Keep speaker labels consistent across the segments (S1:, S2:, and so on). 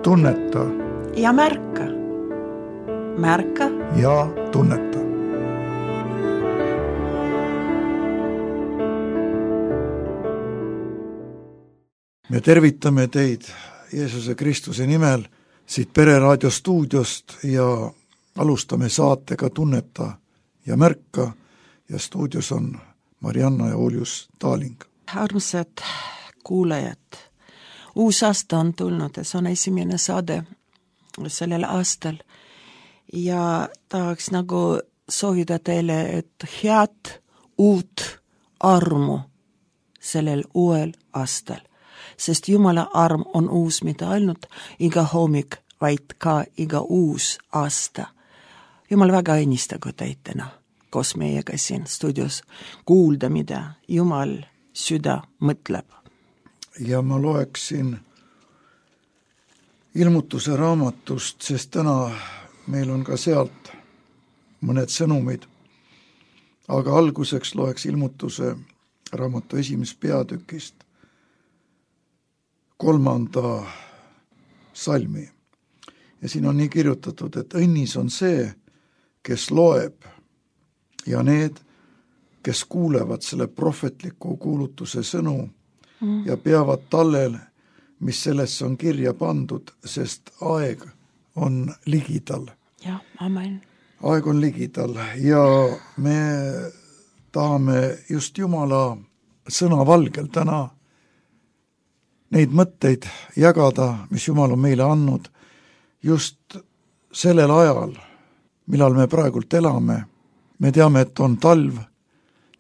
S1: tunneta
S2: ja märka. Märka
S1: ja tunneta. Me tervitame teid Jeesuse Kristuse nimel siit Pereraadio stuudiost ja alustame saatega Tunneta ja märka ja stuudios on Marianna ja Uljus Taaling.
S2: Armsad kuulajad, uus aasta on tulnud ja see on esimene saade sellel aastal ja tahaks nagu soovida teile, et head uut armu sellel uuel aastal. Sest Jumala arm on uus mitte ainult iga hommik, vaid ka iga uus aasta. Jumal väga õnnistagu teid täna, koos meiega siin stuudios kuulda, mida Jumal süda mõtleb.
S1: Ja ma loeksin ilmutuse raamatust, sest täna meil on ka sealt mõned sõnumid. Aga alguseks loeks ilmutuse raamatu 1. peatükist 3. salmi. Ja siin on nii kirjutatud, et õnnis on see, kes loeb ja need, kes kuulevad selle prohvetliku kuulutuse sõnu ja peavad tallel, mis sellesse on kirja pandud, sest aeg on ligidal.
S2: Ja, amen.
S1: Aeg on ligidal ja me tahame just Jumala sõna valgel täna neid mõtteid jagada, mis Jumal on meile andnud just sellel ajal, millal me praegult elame. Me teame, et on talv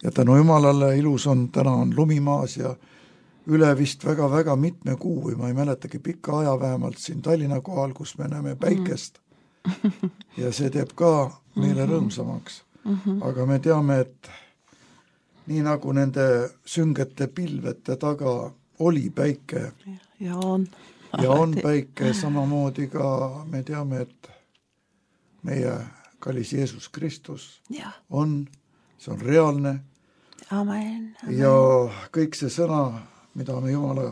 S1: ja tänu Jumalale ilus on, täna on lumimaas ja üle vist väga mitme kuu või ma ei mäletagi pikka aja vähemalt siin Tallinna kohal, kus me näeme päikest ja see teeb ka meile rõõmsamaks. Aga me teame, et nii nagu nende süngete pilvete taga oli päike
S2: ja on
S1: päike, samamoodi ka me teame, et meie kallis Jeesus Kristus on, see on reaalne.
S2: Amen.
S1: Ja kõik see sõna, mida me Jumala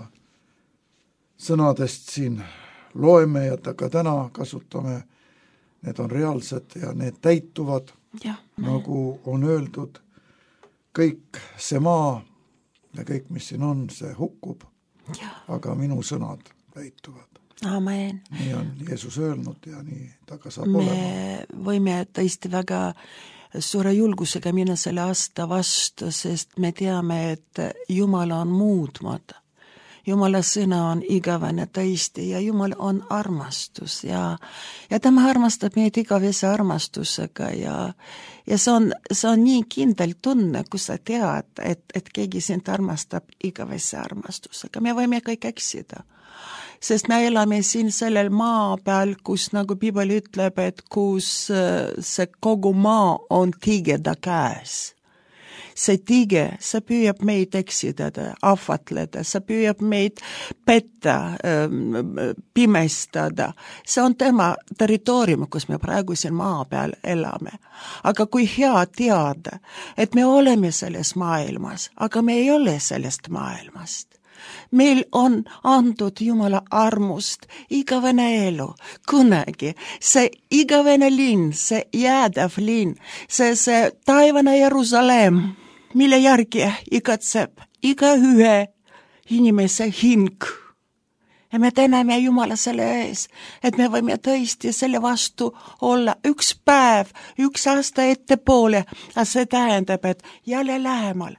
S1: sõnadest siin loeme ja ka täna kasutame, need on reaalsed ja need täituvad, nagu on öeldud, kõik see maa ja kõik, mis siin on, see hukkub, aga minu sõnad täituvad.
S2: Amen.
S1: Nii on Jeesus öelnud ja nii ta ka saab olema.
S2: Me võime tõesti väga suure julgusega minna selle aasta vastu, sest me teame, et Jumal on muutmata. Jumala sõna on igavene tõesti ja Jumal on armastus ja tema armastab meid igavese armastusega ja see on nii kindel tunne, kus sa tead, et keegi sind armastab igavese armastusega. Me võime kõik eksida, sest me elame siin sellel maa peal, kus nagu Piibel ütleb, et kus see kogu maa on tigeda käes. See tige, see püüab meid eksidada, ahvatleda, see püüab meid petta, pimestada. See on tema territoorium, kus me praegu siin maa peal elame. Aga kui hea teada, et me oleme selles maailmas, aga me ei ole sellest maailmast. Meil on antud Jumala armust igavene elu, kunagi. See igavene linn, see jäädav linn, see taevane Jerusalem, mille järgi igatseb iga ühe inimese hing. Ja me täname Jumala selle ees, et me võime tõesti selle vastu olla üks päev, üks aasta ettepoole, ja see tähendab, et jälle lähemal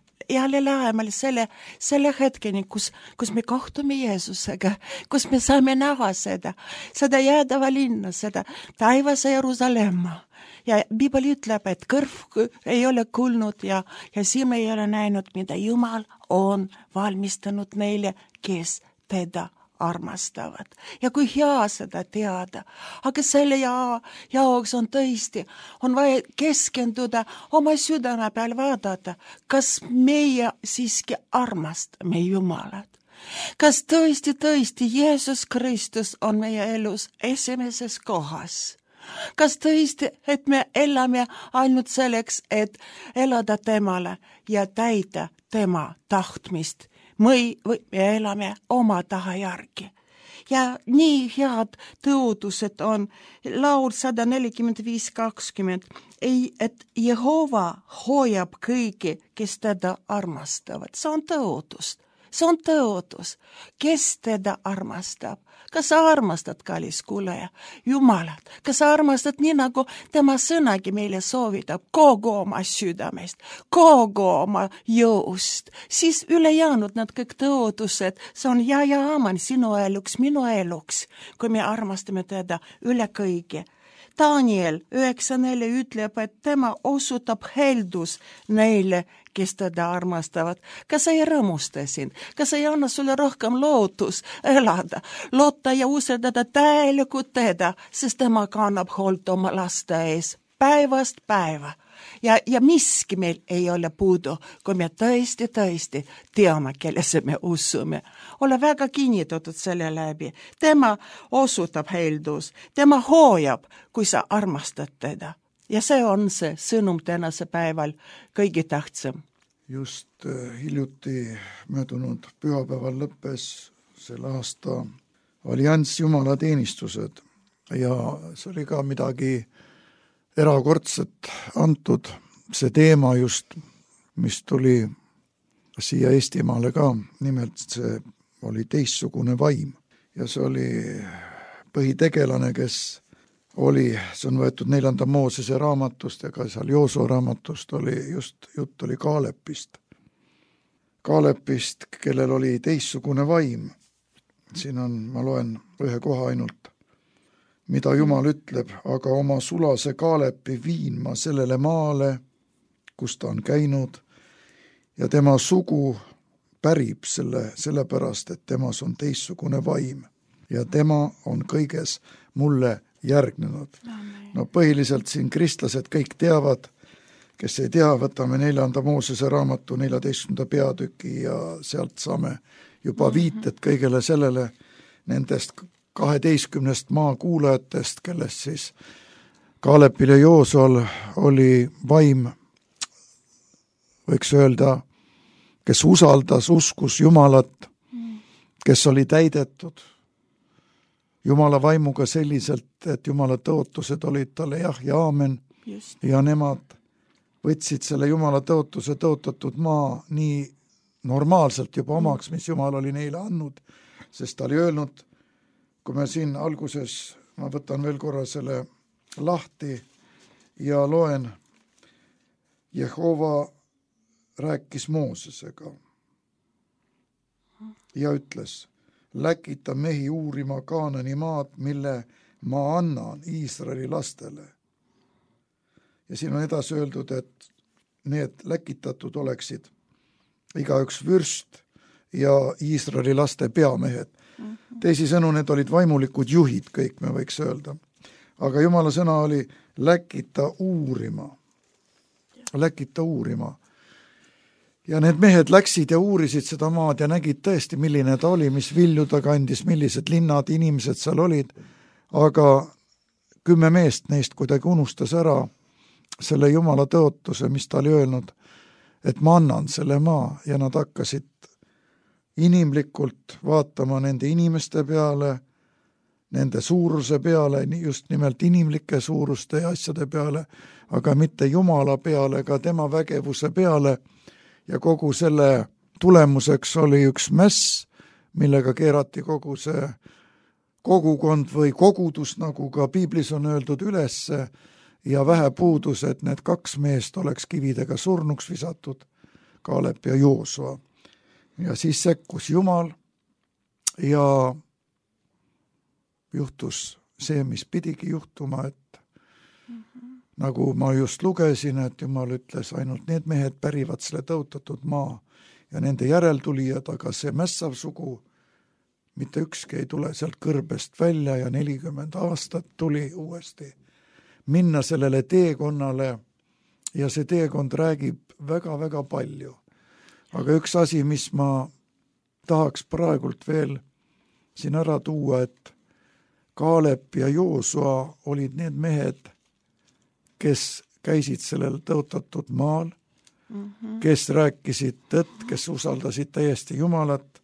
S2: selle hetkeni, kus me kohtume Jeesusega, kus me saame näha seda jäädava linna, seda taivase Jerusalemma. Ja Piibel ütleb, et kõrv ei ole kuulnud ja silm ei ole näinud, mida Jumal on valmistanud neile, kes teda armastavad. Ja kui hea seda teada, aga selle jaoks on tõesti, on vaja keskenduda oma südame peal vaadata, kas meie siiski armastame Jumalat. Kas tõesti Jeesus Kristus on meie elus esimeses kohas? Kas tõesti, et me elame ainult selleks, et elada temale ja täida tema tahtmist? Või me elame oma taha järgi. ja nii head tõotused on. Laul 145:20. Et Jehova hoiab kõigi, kes teda armastavad. See on tõotus. See on tõotus. Kes teda armastab? Kas sa armastad, kallis kuulaja, Jumalat? Kas sa armastad nii, nagu tema sõnagi meile soovitab, kogu oma südamest, kogu oma jõust? Siis ülejäänud need kõik tõotused, see on ja aamen sinu eluks, minu eluks, kui me armastame teda üle kõige. Daniel 9:4 ütleb, et tema osutab heldus neile, kes teda armastavad. Kas ei rõõmusta sind? Kas ei anna sulle rohkem lootus elada, loota ja usaldada täielikult teda, sest tema kannab hoolt oma laste ees päevast päeva. Ja miski meil ei ole puudu, kui me tõesti teame, kellesse me usume. Ole väga kinnitatud selle läbi. Tema osutab heldus, tema hoiab, kui sa armastad teda. Ja see on see sõnum tänase päeval kõige tähtsam.
S1: Just hiljuti möödunud pühapäeval lõppes selle aasta allianss jumalateenistused ja see oli ka midagi erakordset antud, see teema just, mis tuli siia Eestimaale ka, nimelt see oli teistsugune vaim ja see oli põhitegelane, kes oli, see on võetud 4. Moosese raamatust ja ka seal Joosua raamatust oli just, jutt oli Kaalepist, kellel oli teistsugune vaim. Siin on, ma loen ühe koha ainult, mida Jumal ütleb, aga oma sulase Kaalepi viin ma sellele maale, kus ta on käinud, ja tema sugu pärib sellepärast, et temas on teistsugune vaim ja tema on kõiges mulle järgnenud. No põhiliselt siin kristlased kõik teavad, kes ei tea, võtame 4. Moosese raamatu 14. peatüki ja sealt saame juba viited kõigele sellele nendest 12 maakuulajatest, kellest siis Kaalepil ja Joosual oli vaim, võiks öelda, kes usaldas, uskus Jumalat, kes oli täidetud Jumala vaimuga selliselt, et Jumala tõotused olid talle jah ja aamen. Just. Ja nemad võtsid selle Jumala tõotuse tõotatud maa nii normaalselt juba omaks, mis Jumal oli neile andnud, sest ta oli öelnud, kui me siin alguses, ma võtan veel korra selle lahti ja loen, Jehova rääkis Moosesega ja ütles, läkita mehi uurima Kaanani maad, mille ma annan Iisraeli lastele. Ja siin on edasi öeldud, et need läkitatud oleksid igaüks vürst ja Iisraeli laste peamehed. Teisisõnu, need olid vaimulikud juhid, kõik me võiks öelda. Aga Jumala sõna oli läkita uurima. Läkita uurima. Ja need mehed läksid ja uurisid seda maad ja nägid tõesti, milline ta oli, mis vilju ta kandis, millised linnad, inimesed seal olid. Aga 10 meest neist kuidagi unustas ära selle Jumala tõotuse, mis ta oli öelnud, et ma annan selle maa ja nad hakkasid inimlikult vaatama nende inimeste peale, nende suuruse peale, just nimelt inimlike suuruste ja asjade peale, aga mitte Jumala peale, ka tema vägevuse peale ja kogu selle tulemuseks oli üks mäss, millega keerati kogu see kogukond või kogudus, nagu ka piiblis on öeldud, ülesse ja vähe puudus, et need 2 meest oleks kividega surnuks visatud, Kaalep ja Joosua. Ja siis sekkus Jumal ja juhtus see, mis pidigi juhtuma, et nagu ma just lugesin, et Jumal ütles, ainult need mehed pärivad selle tõotatud maa ja nende järeltulijad, aga see mässav sugu, mitte ükski ei tule sealt kõrbest välja ja 40 aastat tuli uuesti minna sellele teekonnale ja see teekond räägib väga-väga palju. Aga üks asi, mis ma tahaks praegult veel siin ära tuua, et Kaalep ja Joosua olid need mehed, kes käisid sellel tõotatud maal, kes rääkisid tõtt, kes usaldasid täiesti Jumalat,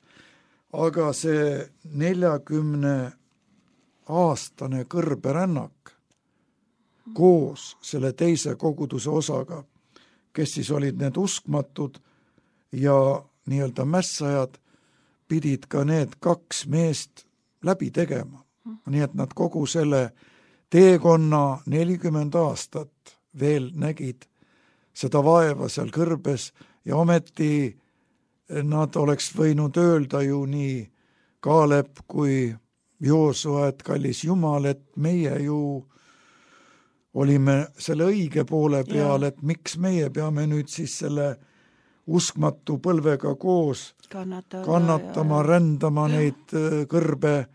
S1: aga see 40-aastane kõrberännak koos selle teise koguduse osaga, kes siis olid need uskmatud ja nii-öelda mässajad, pidid ka need 2 meest läbi tegema. Nii et nad kogu selle teekonna 40 aastat veel nägid seda vaeva seal kõrbes ja ometi nad oleks võinud öelda ju nii Kaalep kui Joosua, et kallis Jumal, et meie ju olime selle õige poole peal, et miks meie peame nüüd siis selle uskmatu põlvega koos kannatama, rändama neid kõrbe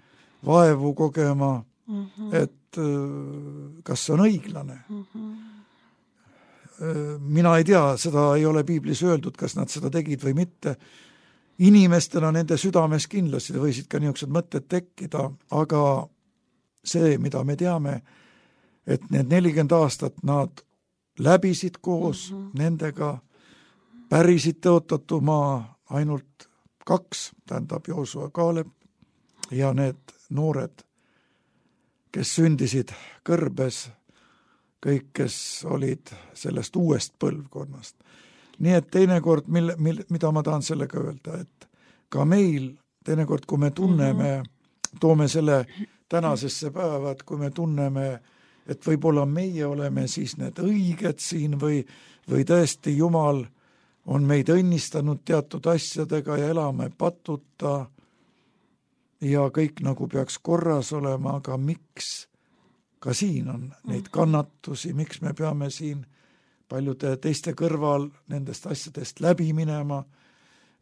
S1: vaevu kogema, et kas see on õiglane? Mina ei tea, seda ei ole piiblis öeldud, kas nad seda tegid või mitte. Inimestena nende südames kindlasti võisid ka niisugused mõtted tekkida, aga see, mida me teame, et need 40 aastat nad läbisid koos nendega, pärisid tõotatud maa ainult 2, tähendab Joosua Kaalep ja need noored, kes sündisid kõrbes, kõik, kes olid sellest uuest põlvkonnast. Nii et teinekord, mida ma tahan sellega öelda, et ka meil, teinekord, kui me tunneme, toome selle tänasesse päeva, et kui me tunneme, et võib-olla meie oleme siis need õiged siin või tõesti Jumal on meid õnnistanud teatud asjadega ja elame patuta ja kõik nagu peaks korras olema, aga miks ka siin on neid kannatusi, miks me peame siin paljude teiste kõrval nendest asjadest läbi minema.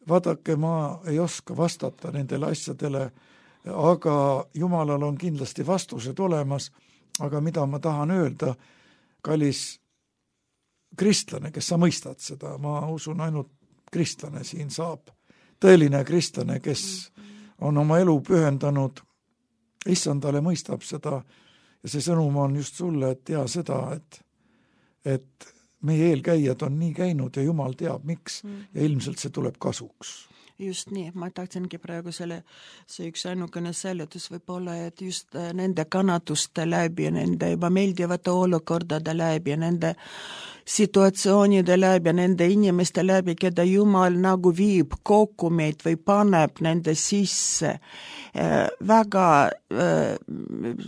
S1: Vaadake, ma ei oska vastata nendele asjadele, aga Jumalal on kindlasti vastused olemas, aga mida ma tahan öelda, kallis kristlane, kes sa mõistad seda, ma usun ainult kristlane siin saab, tõeline kristlane, kes on oma elu pühendanud issandale, mõistab seda ja see sõnum on just sulle, et tea seda, et meie eelkäijad on nii käinud ja Jumal teab, miks ja ilmselt see tuleb kasuks.
S2: Just nii, ma tahtsingi praegu see üks ainukene seletus võib olla, et just nende kannatuste läbi, nende ebameeldivate olukordade läbi, nende situatsioonide läbi, nende inimeste läbi, keda Jumal nagu viib kokku meid või paneb nende sisse. Väga,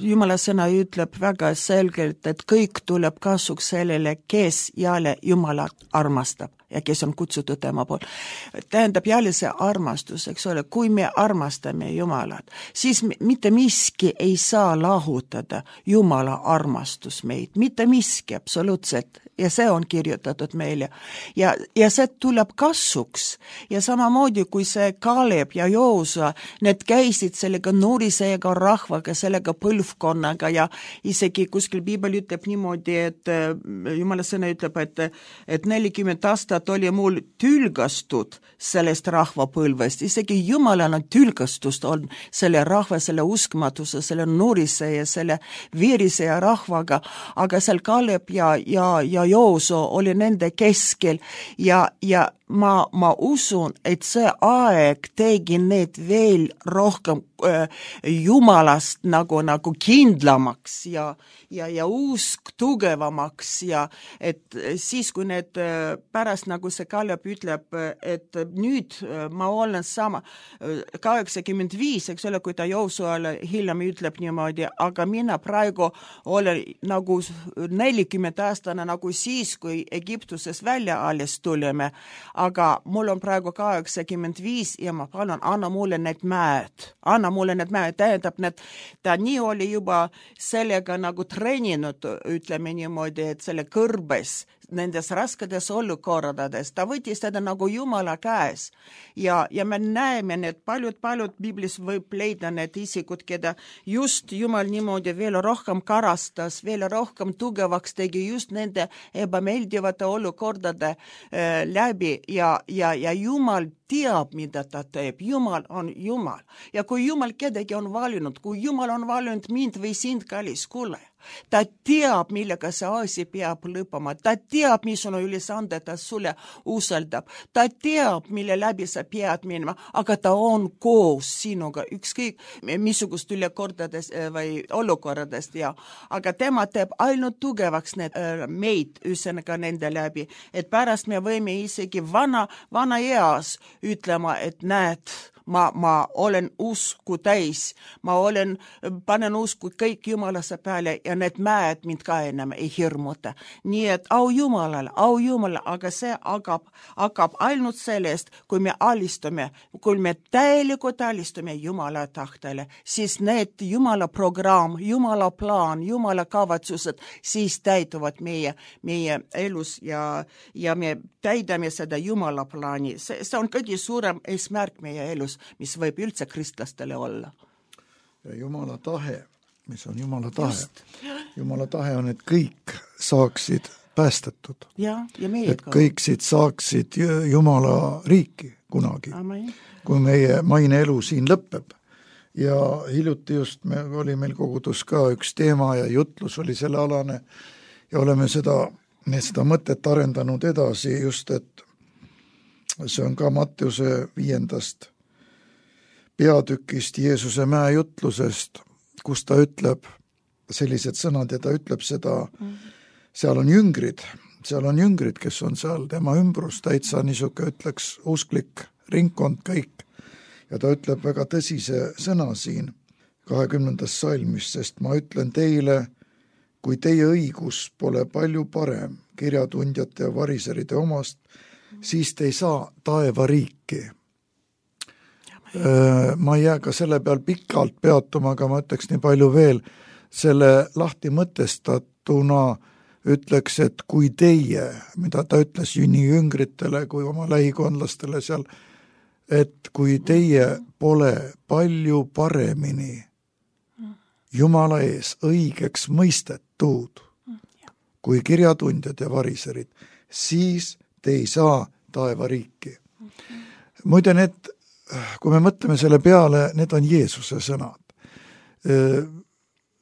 S2: Jumala sõna ütleb väga selgelt, et kõik tuleb kasuks sellele, kes jälle Jumalat armastab ja kes on kutsutud tema pool. Tähendab jälle see armastus, eks ole, kui me armastame Jumalat, siis mitte miski ei saa lahutada Jumala armastus meid, mitte miski absoluutselt, ja see on kirjutatud meile. Ja see tuleb kasuks. Ja samamoodi, kui see Kaalep ja Joosua, need käisid sellega nurisega rahvaga, sellega põlvkonnaga ja isegi kuskil Piibel ütleb niimoodi, et Jumala sõna ütleb, et 40 aastat oli mul tülgastud sellest rahvapõlvest. Isegi Jumalal on tülgastust on selle rahva, selle uskmatuse, selle nurise ja selle veerise ja rahvaga, aga seal Kaalep ja Joosua oli nende keskel ja ma usun, et see aeg tegi need veel rohkem Jumalast nagu kindlamaks ja usk tugevamaks ja et siis, kui need pärast nagu see Kaalep ütleb, et nüüd ma olen sama 85, eks ole, kui ta Joosuale hiljem ütleb niimoodi, aga mina praegu olen nagu 40 aastane nagu siis, kui Egiptuses välja alles tuleme, aga mul on praegu 85 ja ma palun, anna mulle need mäed, tähendab, ta nii oli juba sellega nagu treeninud, ütleme niimoodi, et selle kõrbes, nendes raskedes olukordades, ta võttis teda nagu Jumala käes ja me näeme need paljud Biblis võib leida need isikud, keda just Jumal niimoodi veel rohkem karastas, veel rohkem tugevaks tegi just nende ebameeldivate olukordade läbi ja Jumal teab, mida ta teeb. Jumal on Jumal. Ja kui Jumal kedagi on valinud, kui Jumal on valinud mind või sind, kallis, kuule, ta teab, millega see asi peab lõppema. Ta teab, missugune ülesande ta sulle usaldab. Ta teab, mille läbi sa pead minema, aga ta on koos sinuga, ükskõik missugust ülekordadest või olukorradest. Aga tema teeb ainult tugevaks meid, ühesõnaga nende läbi. Et pärast me võime isegi vana eas ütlema, et näed, ma olen usku täis, panen usku kõik Jumalasse peale ja need mäed mind ka enam ei hirmuta. Nii et au Jumalale, aga see hakkab ainult sellest, kui me alistume, kui me täielikult alistume Jumala tahtele, siis need Jumala programm, Jumala plaan, Jumala kavatsused, siis täituvad meie elus ja me täidame seda Jumala plaani. See on kõige suurem eesmärk meie elus, mis võib üldse kristlastele olla.
S1: Ja Jumala tahe, mis on Jumala tahe? Jumala tahe on, et kõik saaksid päästetud.
S2: Ja
S1: et kõik saaksid Jumala riiki kunagi,
S2: Amen.
S1: Kui meie maine elu siin lõpeb. Ja hiljuti just oli meil kogudus ka üks teema ja jutlus oli selle alane ja oleme seda mõtet arendanud edasi just, et see on ka Matteuse 5. peatükist Jeesuse mäejutlusest, kus ta ütleb sellised sõnad ja ta ütleb seda, seal on jüngrid, kes on seal tema ümbrus, täitsa niisuke ütleks usklik ringkond kõik. Ja ta ütleb väga tõsise sõna siin 20. salmis, sest ma ütlen teile, kui teie õigus pole palju parem kirjatundjate ja variseride omast, siis te ei saa taeva riiki. Ma ei jää ka selle peal pikalt peatuma, aga ma ütleks nii palju veel, selle lahti mõtestatuna ütleks, et kui teie, mida ta ütles nii jüngritele kui oma lähikondlastele seal, et kui teie pole palju paremini Jumala ees õigeks mõistetud kui kirjatundjad ja variserid, siis te ei saa taeva riiki. Muide, kui me mõtleme selle peale, need on Jeesuse sõnad.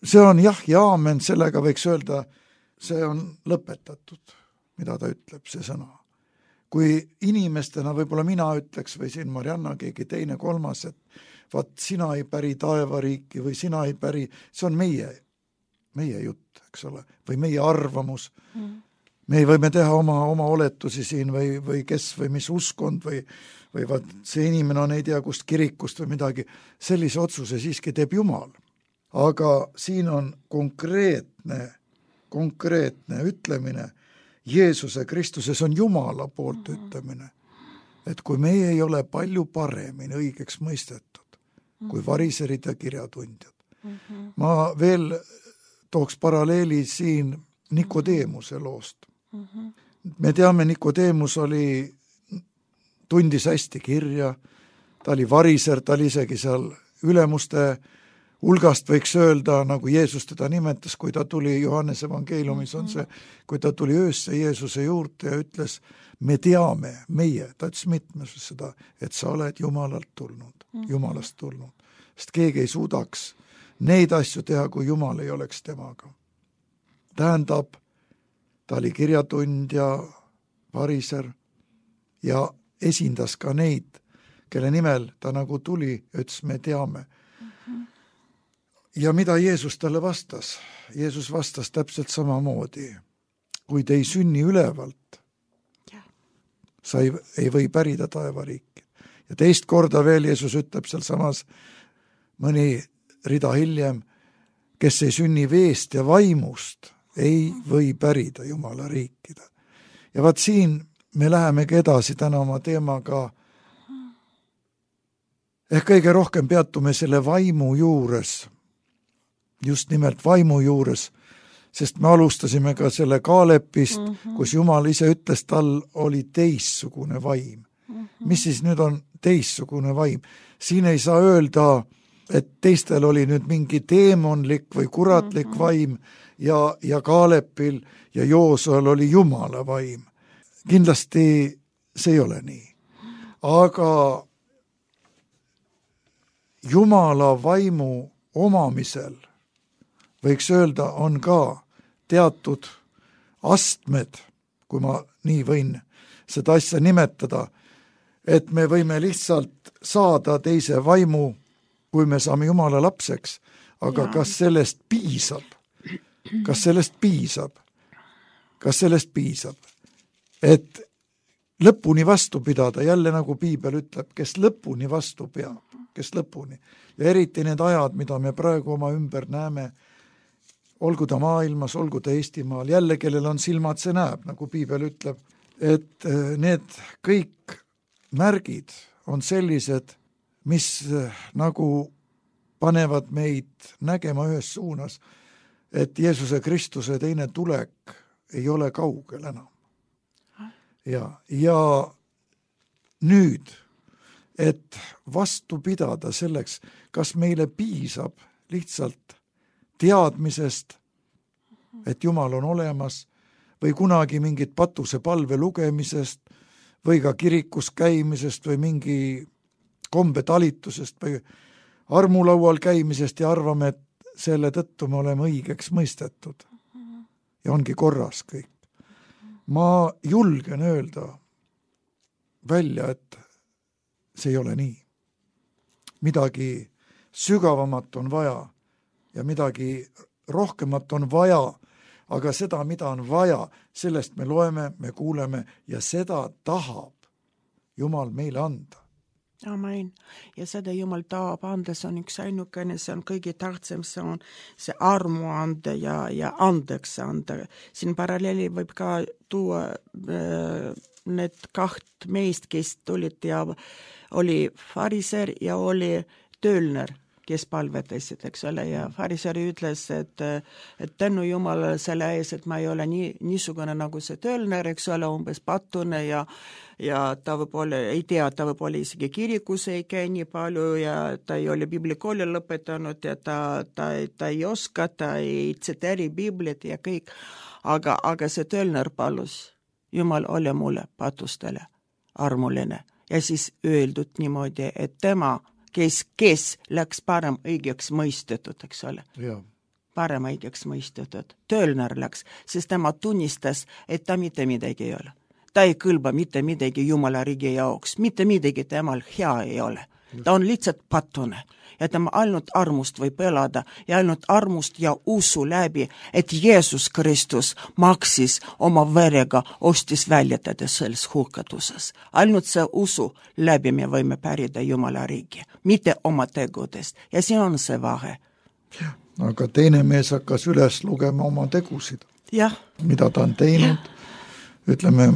S1: See on jah ja aamen, sellega võiks öelda, see on lõpetatud, mida ta ütleb, see sõna. Kui inimestena võib-olla mina ütleks või siin Marianna, keegi teine, kolmas, et vaat sina ei päri taevariiki või sina ei päri, see on meie jutt, eks ole, või meie arvamus. Me võime teha oma oletusi siin või kes või mis uskond või vaat see inimene on ei tea kust kirikust või midagi. Sellise otsuse siiski teeb Jumal. Aga siin on konkreetne ütlemine, Jeesuse Kristuses on Jumala poolt ütlemine, et kui meie ei ole palju paremini õigeks mõistetud kui variserid ja kirjatundjad. Ma veel tooks paralleeli siin Nikodeemuse loost. Me teame, Nikodeemus tundis hästi kirja, ta oli variser, ta oli isegi seal ülemuste hulgast võiks öelda, nagu Jeesus teda nimetas, kui ta tuli Johannese evangeeliumis on see, kui ta tuli öösse Jeesuse juurde ja ütles, me teame, ta ütles mitmes seda, et sa oled Jumalast tulnud. Sest keegi ei suudaks neid asju teha, kui Jumal ei oleks temaga. Tähendab, ta oli kirjatundja, variser ja esindas ka neid, kelle nimel ta nagu tuli ja ütles, me teame. Ja mida Jeesus talle vastas? Jeesus vastas täpselt samamoodi. Kui te ei sünni ülevalt, sa ei või pärida taevariiki. Ja teist korda veel Jeesus ütleb seal samas mõni rida hiljem, kes ei sünni veest ja vaimust, ei või pärida Jumala riikida. Ja vaat siin me lähemegi edasi täna oma teemaga. Ehk kõige rohkem peatume selle vaimu juures, just nimelt vaimu juures, sest me alustasime ka selle Kaalepist, kus Jumal ise ütles, tal oli teissugune vaim. Mis siis nüüd on teissugune vaim? Siin ei saa öelda, et teistel oli nüüd mingi teemonlik või kuratlik vaim ja Kaalepil ja Joosuel oli Jumala vaim. Kindlasti see ei ole nii. aga Jumala vaimu omamisel võiks öelda, on ka teatud astmed, kui ma nii võin seda asja nimetada, et me võime lihtsalt saada teise vaimu, kui me saame Jumala lapseks, aga kas sellest piisab? Kas sellest piisab? Kas sellest piisab? Et lõpuni vastu pidada, jälle nagu Piibel ütleb, kes lõpuni vastu peab, kes lõpuni. Ja eriti need ajad, mida me praegu oma ümber näeme, olgu ta maailmas, olgu ta Eestimaal, jälle kellel on silmad, see näeb, nagu Piibel ütleb, et need kõik märgid on sellised, mis nagu panevad meid nägema ühes suunas, et Jeesuse Kristuse teine tulek ei ole kaugel enam. Ja nüüd, et vastu pidada selleks, kas meile piisab lihtsalt teadmisest, et Jumal on olemas, või kunagi mingit patusepalve lugemisest, või ka kirikus käimisest, või mingi kombetalitusest, või armulaual käimisest ja arvame, et selle tõttu me oleme õigeks mõistetud. Ja ongi korras kõik. Ma julgen öelda välja, et see ei ole nii. Midagi sügavamat on vaja ja midagi rohkemat on vaja, aga seda, mida on vaja, sellest me loeme, me kuuleme ja seda tahab Jumal meile anda.
S2: Amen. Ja seda Jumal tahab anda, see on üks ainukene, see on kõige tähtsam, see on see armu anda ja andeks anda. Siin paralleeli võib ka tuua need kaht meest, kes tulid ja oli fariser ja oli töölner, kes palvetasid, eks ole, ja fariseri ütles, et tänu Jumalale selle ees, et ma ei ole niisugune nagu see töölner, eks ole, umbes patune ja ta võib-olla ei tea, ta võib-olla isegi kirikus ei käi nii palju ja ta ei ole biblikooli lõpetanud ja ta ei oska, ta ei tsiteeri Biblit ja kõik, aga see töölner palus, Jumal ole mulle patustele armuline ja siis öeldud niimoodi, et tema kes läks parem õigeks mõistetud, eks ole. Parem õigeks mõistetud. Töölner läks, sest tema tunnistas, et ta mitte midagi ei ole. Ta ei kõlba mitte midagi Jumala riigi jaoks, mitte midagi temal hea ei ole. Ta on lihtsalt patune ja tema ainult armust võib elada ja ainult armust ja usu läbi, et Jeesus Kristus maksis oma verega, ostis väljatada selles hukatuses. Ainult see usu läbi me võime pärida Jumala riigi, mitte oma tegudest ja see on see vahe.
S1: Aga teine mees hakkas üles lugema oma tegusid, mida ta on teinud, ütleme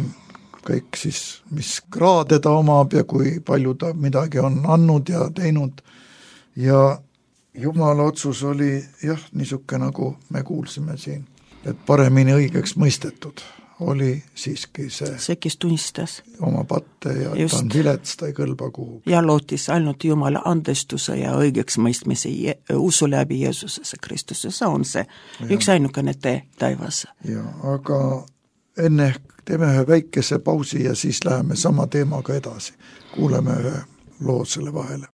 S1: kõik siis, mis kraade ta omab ja kui palju ta midagi on andnud ja teinud. Ja Jumala otsus oli niisuke, nagu me kuulsime siin, et paremini õigeks mõistetud oli siiski see
S2: kes tunnistas
S1: oma patte ja just. Ta on vilets, ta ei kõlba kuhu.
S2: Ja lootis ainult Jumala andestuse ja õigeks mõistmise usu läbi Jeesusesse Kristuse, see on see üks ainukene tee taivas.
S1: Aga enne teeme ühe väikese pausi ja siis läheme sama teemaga edasi. Kuuleme ühe loo selle vahele.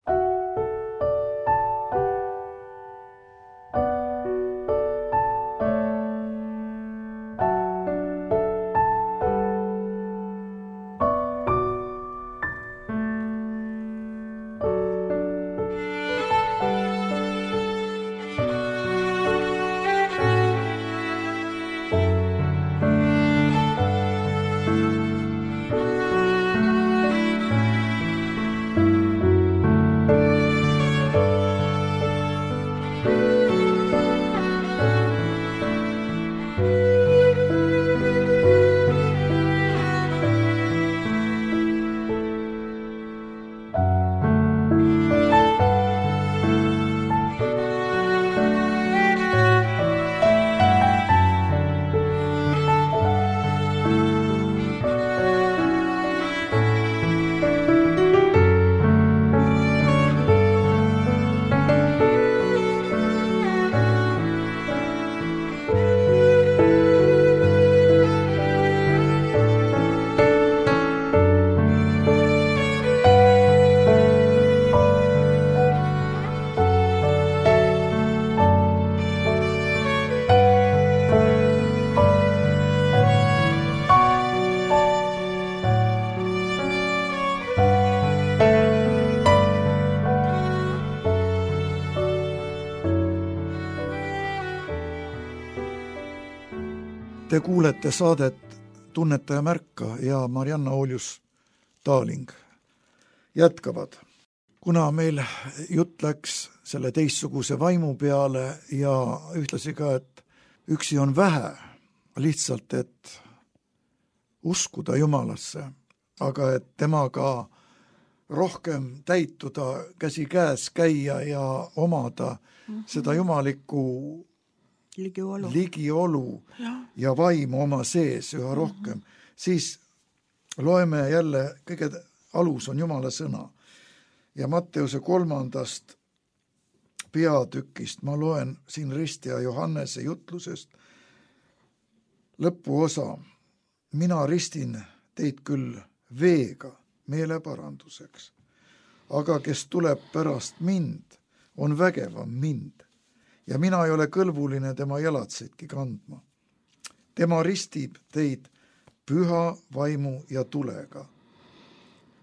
S1: Te kuulete saadet Tunneta ja märka ja Marianna Oljus-Taaling jätkavad. Kuna meil jutt läks selle teistsuguse vaimu peale ja ühtlasi ka, et üksi on vähe, lihtsalt et uskuda Jumalasse, aga et temaga rohkem täituda, käsi käes käia ja omada seda jumalikku ligiolu ja vaimu oma sees üha rohkem, siis loeme jälle, kõige alus on Jumala sõna. Ja Matteuse 3. peatükist ma loen siin ristija Johannese jutlusest lõpuosa. Mina ristin teid küll veega meeleparanduseks, aga kes tuleb pärast mind, on vägevam mind ja mina ei ole kõlbuline tema jalatseidki kandma. Tema ristib teid püha vaimu ja tulega.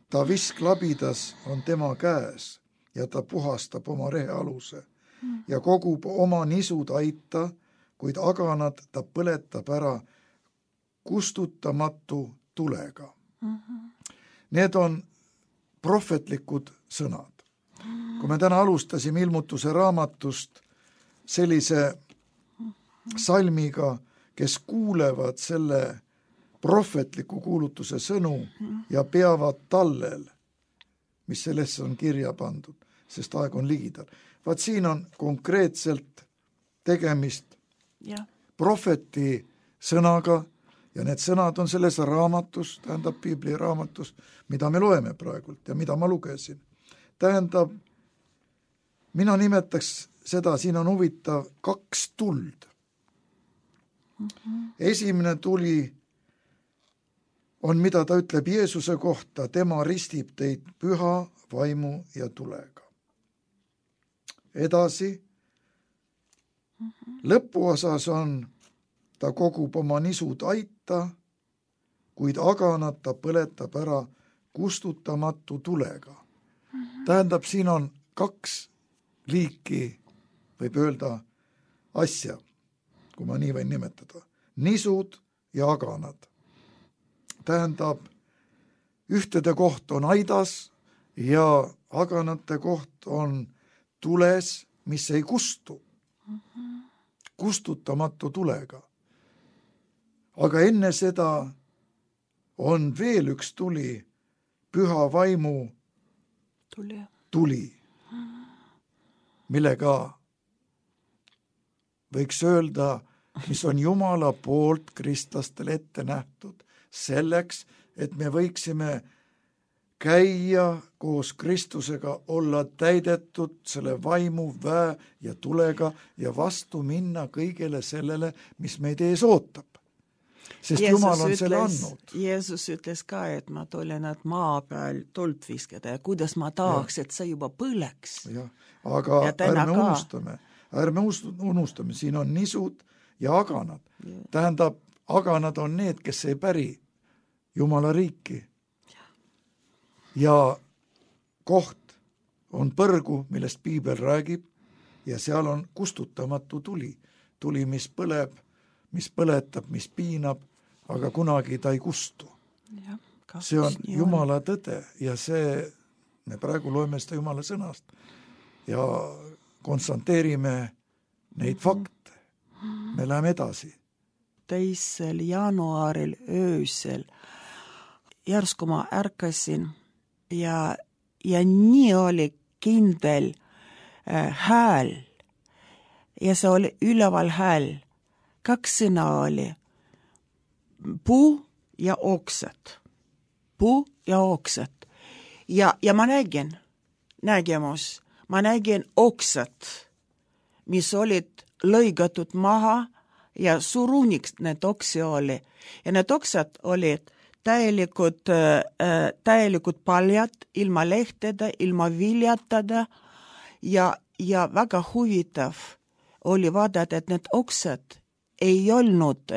S1: Ta visklabidas on tema käes ja ta puhastab oma rehealuse ja kogub oma nisud aita, kuid aganad ta põletab ära kustutamatu tulega. Need on prohvetlikud sõnad. Kui me täna alustasime Ilmutuse raamatust sellise salmiga, kes kuulevad selle prohvetliku kuulutuse sõnu ja peavad tallel, mis sellesse on kirja pandud, sest aeg on ligidal. Vaat siin on konkreetselt tegemist prohveti sõnaga ja need sõnad on selles raamatus, tähendab Piibli raamatus, mida me loeme praegult ja mida ma lugesin. Tähendab, mina nimetaks seda, siin on huvitav 2 tuld. Esimene tuli on, mida ta ütleb Jeesuse kohta, tema ristib teid püha vaimu ja tulega. Edasi, lõpuosas on, ta kogub oma nisud aita, kuid aganad ta põletab ära kustutamatu tulega. Tähendab, siin on 2 liiki, võib öelda, asja, kui ma nii võin nimetada. Nisud ja aganad. Tähendab, ühtede koht on aidas ja aganate koht on tules, mis ei kustu. Kustutamatu tulega. Aga enne seda on veel üks tuli, püha vaimu tuli, millega võiks öelda, mis on Jumala poolt kristlastele ette nähtud, selleks, et me võiksime käia koos Kristusega, olla täidetud selle vaimu, väe ja tulega ja vastu minna kõigele sellele, mis meid ees ootab. Sest Jumal on selle andnud.
S2: Jeesus ütles ka, et ma tulen, et maa peal tuld viskada ja kuidas ma tahaks, et see juba põleks.
S1: Ja, aga ärme unustame, siin on nisud ja aganad. Tähendab, aganad on need, kes ei päri Jumala riiki. Ja koht on põrgu, millest Piibel räägib, ja seal on kustutamatu tuli. Tuli, mis põleb, mis põletab, mis piinab, aga kunagi ta ei kustu. See on Jumala tõde ja see, me praegu loeme seda Jumala sõnast ja konstanteerime neid fakte. Me läheme edasi.
S2: 2. jaanuaril öösel järsku ma ärkasin ja nii oli kindel hääl ja see oli üleval hääl. 2 sõna oli puu ja oksad. Puu ja oksad. Ja ma nägin oksad, mis olid lõigatud maha ja suruniks need oksi oli. Ja need oksad olid täielikud paljad, ilma lehtede, ilma viljatada ja väga huvitav oli vaadata, et need oksad ei olnud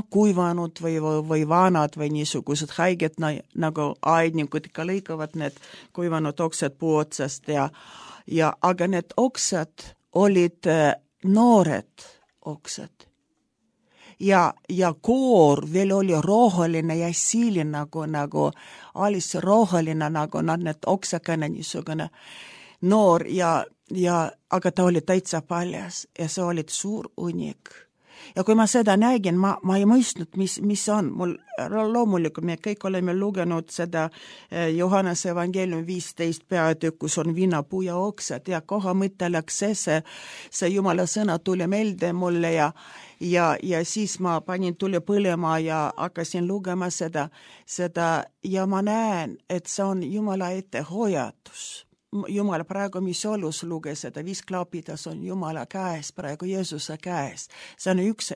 S2: kuivanud või vanad või niisugused haiged, nagu aednikud ikka lõikavad need kuivanud oksad puu otsast aga need oksad olid noored oksad. ja koor veel oli roheline ja siline nagu alis roheline nagu need oksakene niisugune noor aga ta oli täitsa paljas ja see oli suur unik. Ja kui ma seda nägin, ma ei mõistnud, mis on. Mul loomulikult me kõik oleme lugenud seda Johannese evangeeliumi 15 peatükk, kus on viinapuu ja oksad ja koha mõte läks see Jumala sõna tuli meelde mulle ja siis ma panin tuli põlema ja hakkasin lugema seda ja ma näen, et see on Jumala ette hoiatus. Jumal praegu, mis olus luges seda, 5 klaapidas on Jumala käes, praegu Jeesuse käes. See on üks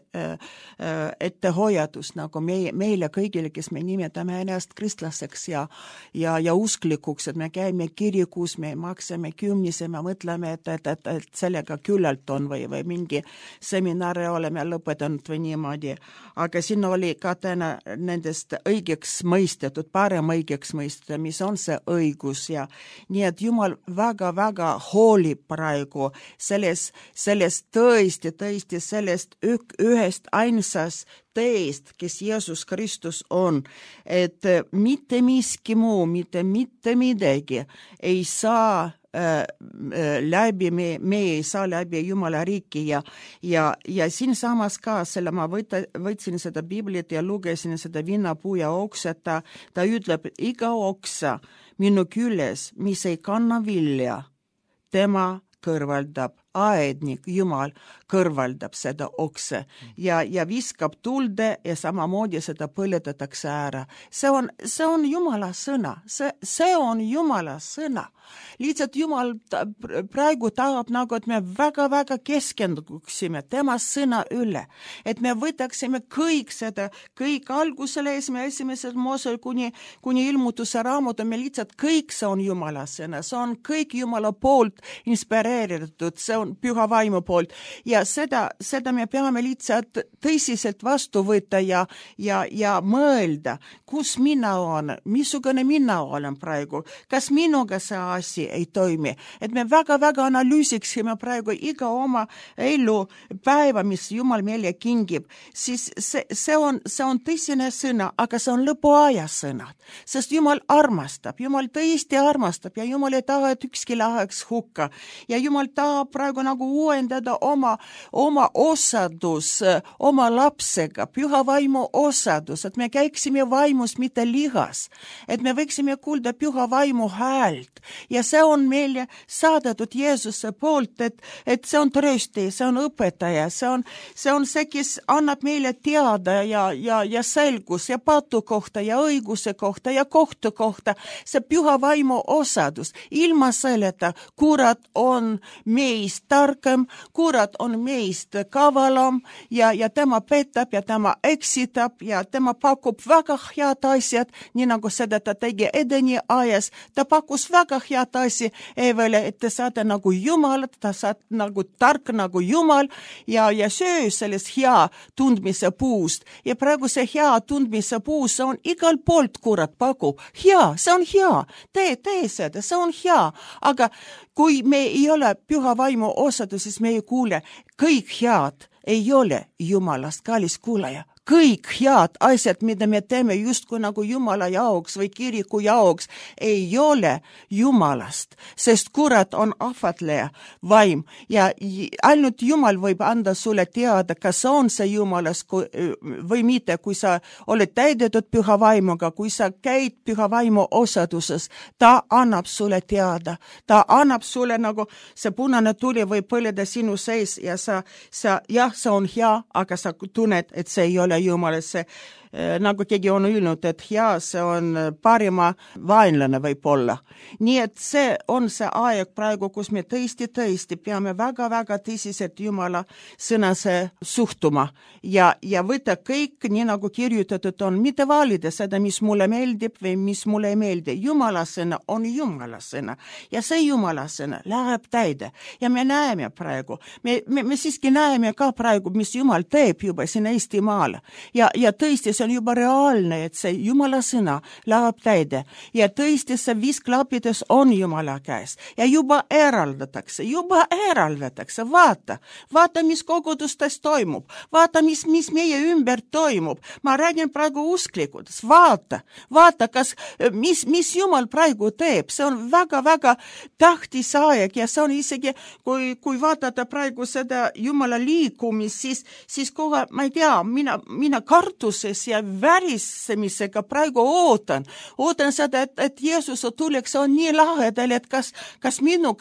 S2: ettehoiatus nagu meile kõigile, kes me nimetame ennast kristlaseks ja usklikuks, et me käime kirikus, me maksame kümnise, me mõtleme, et sellega küllalt on või mingi seminare oleme lõpetanud või niimoodi. Aga siin oli ka täna nendest õigeks mõistetud, parem õigeks mõistetud, mis on see õigus ja nii, et Jumal väga-väga hoolib praegu sellest tõesti sellest ühest ainsast teest, kes Jeesus Kristus on, et mitte miski muu, mitte midagi ei saa läbi, me ei saa läbi Jumala riiki ja siin samas ka selle ma võtsin seda Biblit ja lugesin seda viinapuu ja oksa, ta ütleb, iga oksa minu küljes, mis ei kanna vilja, tema kõrvaldab, aednik, Jumal kõrvaldab seda okse ja viskab tulde ja samamoodi seda põletatakse ära. See on Jumala sõna, see on Jumala sõna. Lihtsalt Jumal praegu tahab nagu, et me väga-väga keskenduksime tema sõna üle, et me võtaksime kõik algusele esimesed Moosel kuni ilmutuse raamatu, me lihtsalt kõik see on Jumala sõna, see on kõik Jumala poolt inspireeritud, see on püha vaimu poolt ja seda me peame lihtsalt tõsiselt vastu võtta ja mõelda, kus mina olen, missugune mina olen praegu, kas minuga see asi ei toimi, et me väga-väga analüüsiksime praegu iga oma elu päeva, mis Jumal meile kingib, siis see on tõsine sõna, aga see on lõpuaja sõnad, sest Jumal armastab, Jumal tõesti armastab ja Jumal ei taha, et ükski läheks hukka ja Jumal tahab praegu nagu uuendada oma osadus oma lapsega, püha vaimu osadus, et me käiksime vaimus, mitte lihas, et me võiksime kuulda püha vaimu häält ja see on meile saadetud Jeesuse poolt, et see on trösti, see on õpetaja, see on see, kes annab meile teada ja selgus ja patu kohta ja õiguse kohta ja kohtu kohta, see püha vaimu osadus, ilma selleta kurat on meist targem, kurat on meist kavalam ja tema petab ja tema eksitab ja tema pakub väga head asjad, nii nagu seda ta tegi Edeni ajas, ta pakkus väga head asja Evele, et te saate nagu Jumal, ta saad nagu tark nagu Jumal ja söö sellest hea tundmise puust ja praegu see hea tundmise puus on igal poolt kurat pakub, hea, see on hea, tee seda, see on hea, aga kui me ei ole püha vaimu osadus, siis me ei kuule, kõik head ei ole Jumalast, kallis kuulaja. Kõik head asjad, mida me teeme justkui nagu Jumala jaoks või kiriku jaoks, ei ole Jumalast, sest kurat on ahvatleja vaim ja ainult Jumal võib anda sulle teada, kas on see Jumalast või mitte, kui sa oled täidetud püha vaimuga, kui sa käid püha vaimu osaduses, ta annab sulle teada, ta annab sulle nagu see punane tuli või põleda sinu sees ja see on hea, aga sa tunned, et see ei ole Jumalesse, nagu keegi on öelnud, et hea, see on parima vaenlane võib-olla. Nii et see on see aeg praegu, kus me tõesti peame väga-väga tõsiselt Jumala sõnase suhtuma ja võtta kõik nii nagu kirjutatud on, mitte valida seda, mis mulle meeldib või mis mulle ei meeldi. Jumala sõna on Jumala sõna ja see Jumala sõna läheb täide ja me näeme praegu, me siiski näeme ka praegu, mis Jumal teeb juba siin Eestimaal ja tõesti see see on juba reaalne, et see Jumala sõna läheb täide ja tõesti see visklappides on Jumala käes ja juba eraldatakse, vaata, mis kogudustes toimub, vaata, mis meie ümber toimub. Ma räägin praegu usklikudest, vaata, mis Jumal praegu teeb, see on väga-väga tähtis aeg ja see on isegi, kui vaadata praegu seda Jumala liikumist, siis kohe, ma ei tea, mina kartuses ja värisemisega praegu ootan seda, et Jeesus tuleks on nii lahedal, et kas minu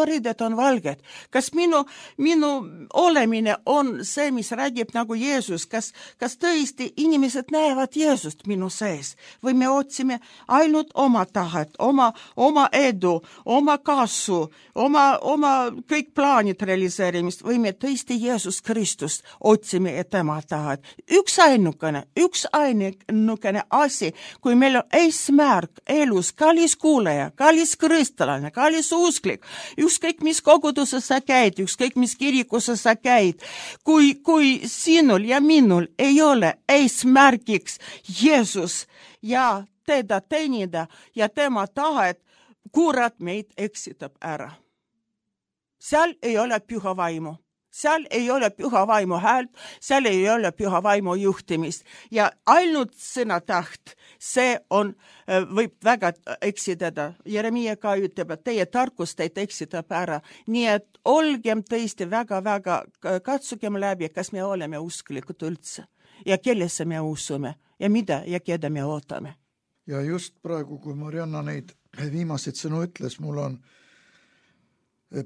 S2: riided on valged, kas minu olemine on see, mis räägib nagu Jeesus, kas tõesti inimesed näevad Jeesust minu sees või me otsime ainult oma tahet, oma edu, oma kasu, oma kõik plaanid realiseerimist või me tõesti Jeesus Kristust otsime ja tema tahet. Üks ainukene asi, kui meil on eesmärk elus, kallis kuulaja, kallis kristlane, kallis usklik, ükskõik mis koguduses sa käid, ükskõik mis kirikuses sa käid, kui sinul ja minul ei ole eesmärgiks Jeesus ja teda teenida ja tema tahet, kurat meid eksitab ära. Seal ei ole püha vaimu. Seal ei ole püha vaimu häält, seal ei ole püha vaimu juhtimist ja ainult sõna taht, see võib väga eksitada. Jeremia ka ütleb, et teie tarkus teid eksitab ära. Nii et olgem tõesti väga-väga, katsugem läbi, kas me oleme usklikud üldse ja kellesse me usume ja mida ja keda me ootame.
S1: Ja just praegu, kui Marianna neid viimaseid sõnu ütles, mul on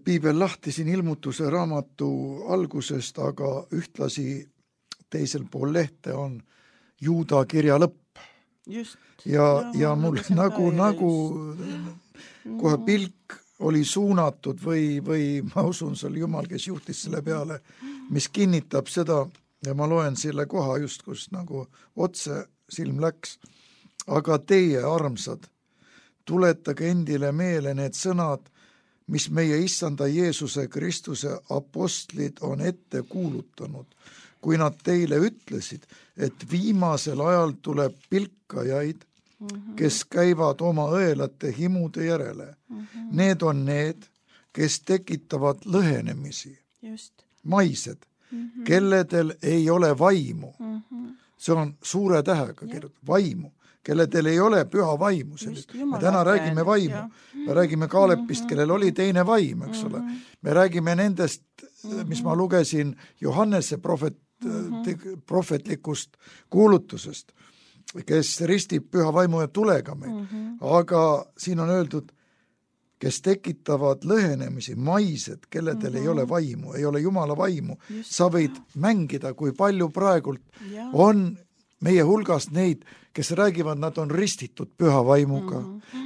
S1: piibel lahti siin Ilmutuse raamatu algusest, aga ühtlasi teisel pool lehte on Juuda kirja lõpp.
S2: Just.
S1: Ja mul nagu kohe pilk oli suunatud või ma usun, see oli Jumal, kes juhtis selle peale, mis kinnitab seda ja ma loen selle koha just, kus nagu otse silm läks. Aga teie, armsad, tuletage endile meele need sõnad, mis meie issanda Jeesuse Kristuse apostlid on ette kuulutanud, kui nad teile ütlesid, et viimasel ajal tuleb pilkajaid, kes käivad oma õelate himude järele. Need on need, kes tekitavad lõhenemisi. Just. Maised, kelledel ei ole vaimu. See on suure tähega kirjutatud, vaimu. Kelledel ei ole püha vaimu. Me täna räägime vaimu. Me räägime Kaalepist, kellel oli teine vaim, eks ole. Me räägime nendest, mis ma lugesin Johannese prohvetlikust kuulutusest, kes ristib püha vaimu ja tulega meid. Aga siin on öeldud, kes tekitavad lõhenemisi, maised, kelledel ei ole vaimu, ei ole Jumala vaimu. Sa võid mängida, kui palju praegult on meie hulgas neid, kes räägivad, nad on ristitud püha vaimuga.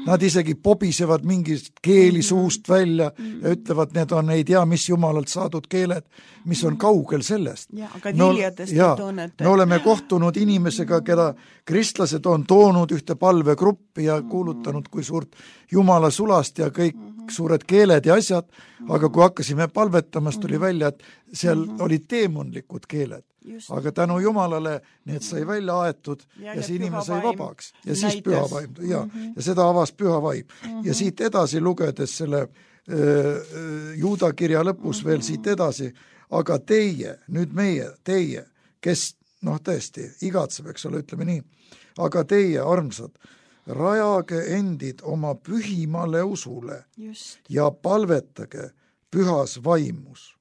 S1: Nad isegi pobisevad mingist keeli suust välja ja ütlevad, need on ei tea, mis Jumalalt saadud keeled, mis on kaugel sellest. Me oleme kohtunud inimesega, keda kristlased on toonud ühte palvegruppi ja kuulutanud, kui suurt Jumala sulast ja kõik suured keeled ja asjad, aga kui hakkasime palvetamas, tuli välja, et seal olid teemonlikud keeled. Aga tänu Jumalale need sai välja aetud ja see inimene sai vabaks. Ja siis püha vaim. Ja seda avas püha vaim. Ja siit edasi lugedes selle Juuda kirja lõpus veel siit edasi, aga teie, nüüd teie, kes tõesti igatseb, eks ole, ütleme nii, aga teie, armsad, rajage endid oma pühimale usule ja palvetage pühas vaimus.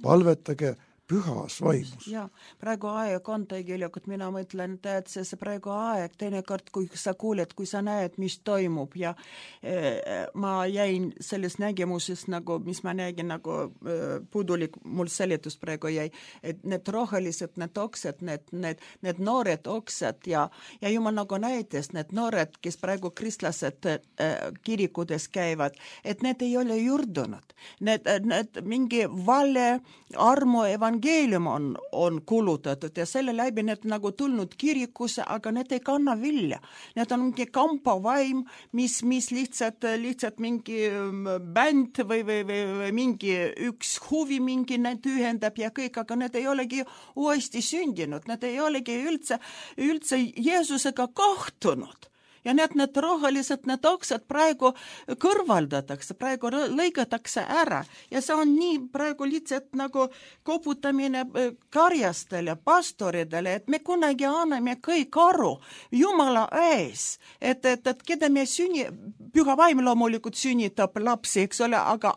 S1: Palvetage pühas vaimus.
S2: Ja, praegu aeg on tegelikult, mina mõtlen, et see praegu aeg, teinekord, kui sa kuuled, kui sa näed, mis toimub ja ma jäin selles nägemuses, nagu, mis ma nägin, nagu puudulik, mul seletus praegu jäi, et need rohelised, need oksed, need noored oksed ja Jumal nagu näitas, need noored, kes praegu kristlased kirikudes käivad, et need ei ole juurdunud. Need mingi vale armu evangeeliumi evangeelium on kulutatud ja selle läbi need nagu tulnud kirikusse, aga need ei kanna vilja. Need on mingi kampavaim, mis lihtsalt mingi bänd või mingi üks huvi mingi need ühendab ja kõik, aga need ei olegi uuesti sündinud, need ei olegi üldse Jeesusega kohtunud. Ja need rohelised, need oksad praegu kõrvaldatakse, praegu lõigatakse ära ja see on nii praegu lihtsalt nagu koputamine karjastele, pastoridele, et me kunagi anname kõik aru Jumala ees, et keda me püha vaim loomulikult sünnitab lapsi, eks ole, aga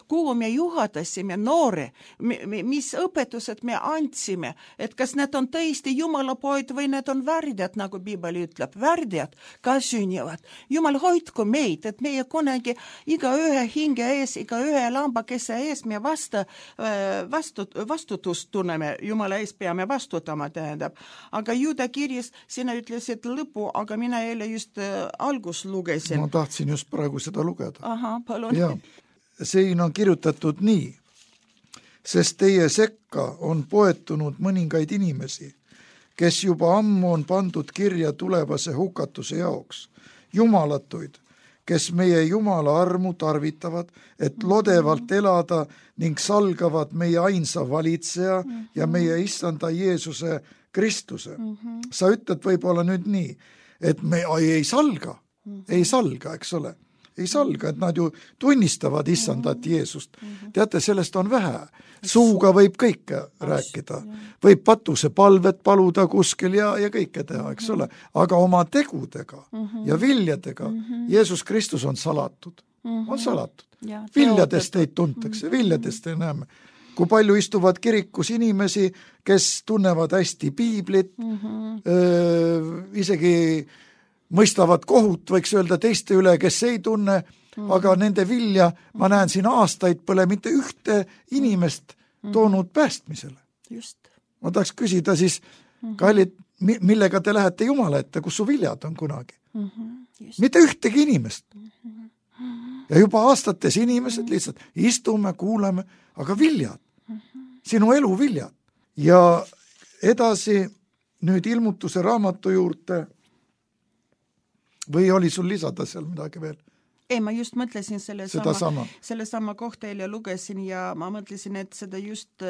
S2: kuhu me juhatasime noore, mis õpetused me andsime, et kas need on tõesti Jumala poid või need on värdjad, nagu Piibel ütleb, värdjad ka sünnivad. Jumal hoidku meid, et meie kunagi iga ühe hinge ees, iga ühe lambakese ees me vastutust tunneme, Jumala ees peame vastutama, tähendab. Aga Juuda kirjas sina ütlesid lõpu, aga mina eile just algus lugesin.
S1: Ma tahtsin just praegu seda lugeda.
S2: Aha, palun.
S1: Ja, siin on kirjutatud nii, sest teie sekka on poetunud mõningaid inimesi, kes juba ammu on pandud kirja tulevase hukatuse jaoks, jumalatuid, kes meie Jumala armu tarvitavad, et lodevalt elada ning salgavad meie ainsa valitseja ja meie issanda Jeesuse Kristuse. Sa ütled võib-olla nüüd nii, et me ei salga, eks ole. Ei salga, et nad ju tunnistavad issandat Jeesust. Teate, sellest on vähe. Suuga võib kõike rääkida. Võib patuse palvet paluda kuskil ja kõike teha, eks ole. Aga oma tegudega ja viljadega Jeesus Kristus on salatud. On salatud. Viljadest ei tuntakse, viljadest ei näeme. Kui palju istuvad kirikus inimesi, kes tunnevad hästi piiblit, isegi mõistavad kohut, võiks öelda teiste üle, kes ei tunne, aga nende vilja, ma näen siin aastaid pole mitte ühte inimest toonud päästmisele.
S2: Just.
S1: Ma tahaks küsida siis, kallid, millega te lähete Jumala ette, kus su viljad on kunagi? Mitte ühtegi inimest. Ja juba aastates inimesed lihtsalt istume, kuuleme, aga viljad. Sinu elu viljad. Ja edasi nüüd ilmutuse raamatu juurde või oli sul lisada seal midagi veel?
S2: Ei, ma just mõtlesin selle sama kohta eile lugesin ja ma mõtlesin, et seda just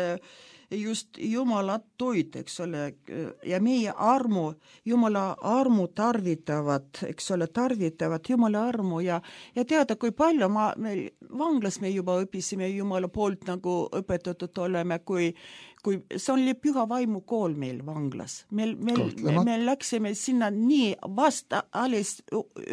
S2: Jumala toit, eks ole, ja meie Jumala armu tarvitavad, eks ole, Jumala armu ja teada, kui palju vanglas me juba õpisime Jumala poolt nagu õpetatud oleme, kui see oli püha vaimu kool meil vanglas. Me läksime sinna nii vasta alles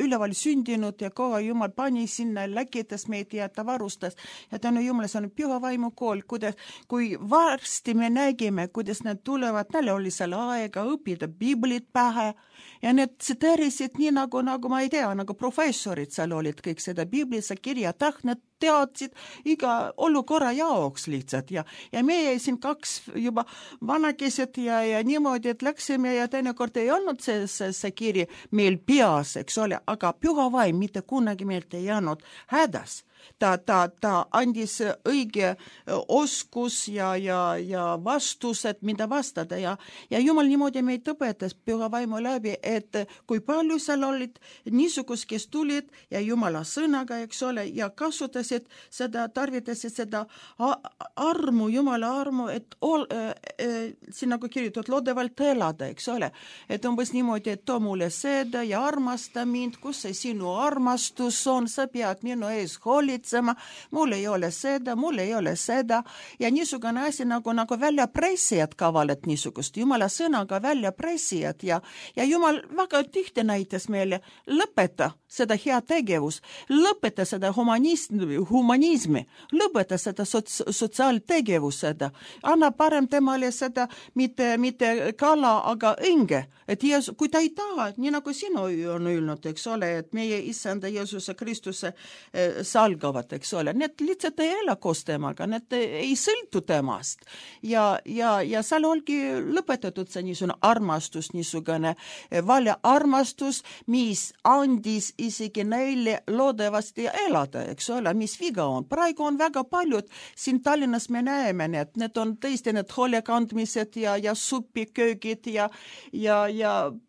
S2: üleval sündinud ja kohe Jumal pani sinna, läkitas meid ja ta varustas. Ja tänu Jumala, see on püha vaimu kool, kui varsti me nägime, kuidas need tulevad, neil oli seal aega õppida piiblit pähe ja need tsiteerisid nii nagu ma ei tea, nagu professorid seal olid kõik seda piiblisse kirjatah, need teadsid iga olukorra jaoks lihtsalt ja meie siin kaks juba vanakesed ja niimoodi, et läksime ja teinekord ei olnud see kiri meil peas, eks ole, aga püha vaim mitte kunagi meilt ei jäänud hädas. Ta andis õige oskus ja vastused, mida vastada ja Jumal niimoodi meid õpetas püha vaimu läbi, et kui palju seal olid niisugust, kes tulid ja Jumala sõnaga, eks ole, ja kasutasid seda, tarvitasid seda armu, Jumala armu, et siin nagu kirjutatud lodevalt elada, eks ole, et umbes niimoodi, et too mulle seda ja armasta mind, kus see sinu armastus on, sa pead minu ees hoolitsema, mul ei ole seda ja niisugune asi nagu väljapressijad kavalad niisugust, Jumala sõnaga väljapressijad ja Jumal väga tihti näitas meile, lõpeta seda hea tegevus, lõpeta seda humanismi, lõpeta seda sotsiaaltegevus seda, anna parem temale Jumalale seda mitte kala, aga õnge. Et kui ta ei taha, nii nagu sinu on öelnud, eks ole, et meie Issanda Jeesuse Kristuse salgavad, eks ole, need lihtsalt ei ela koos temaga, need ei sõltu temast. Ja seal olgi lõpetatud see niisugune armastus, niisugune valja armastus, mis andis isegi neile loodavasti elada, eks ole, mis viga on. Praegu on väga paljud, siin Tallinnas me näeme need on tõesti need hoolekandmised ja supiköögid ja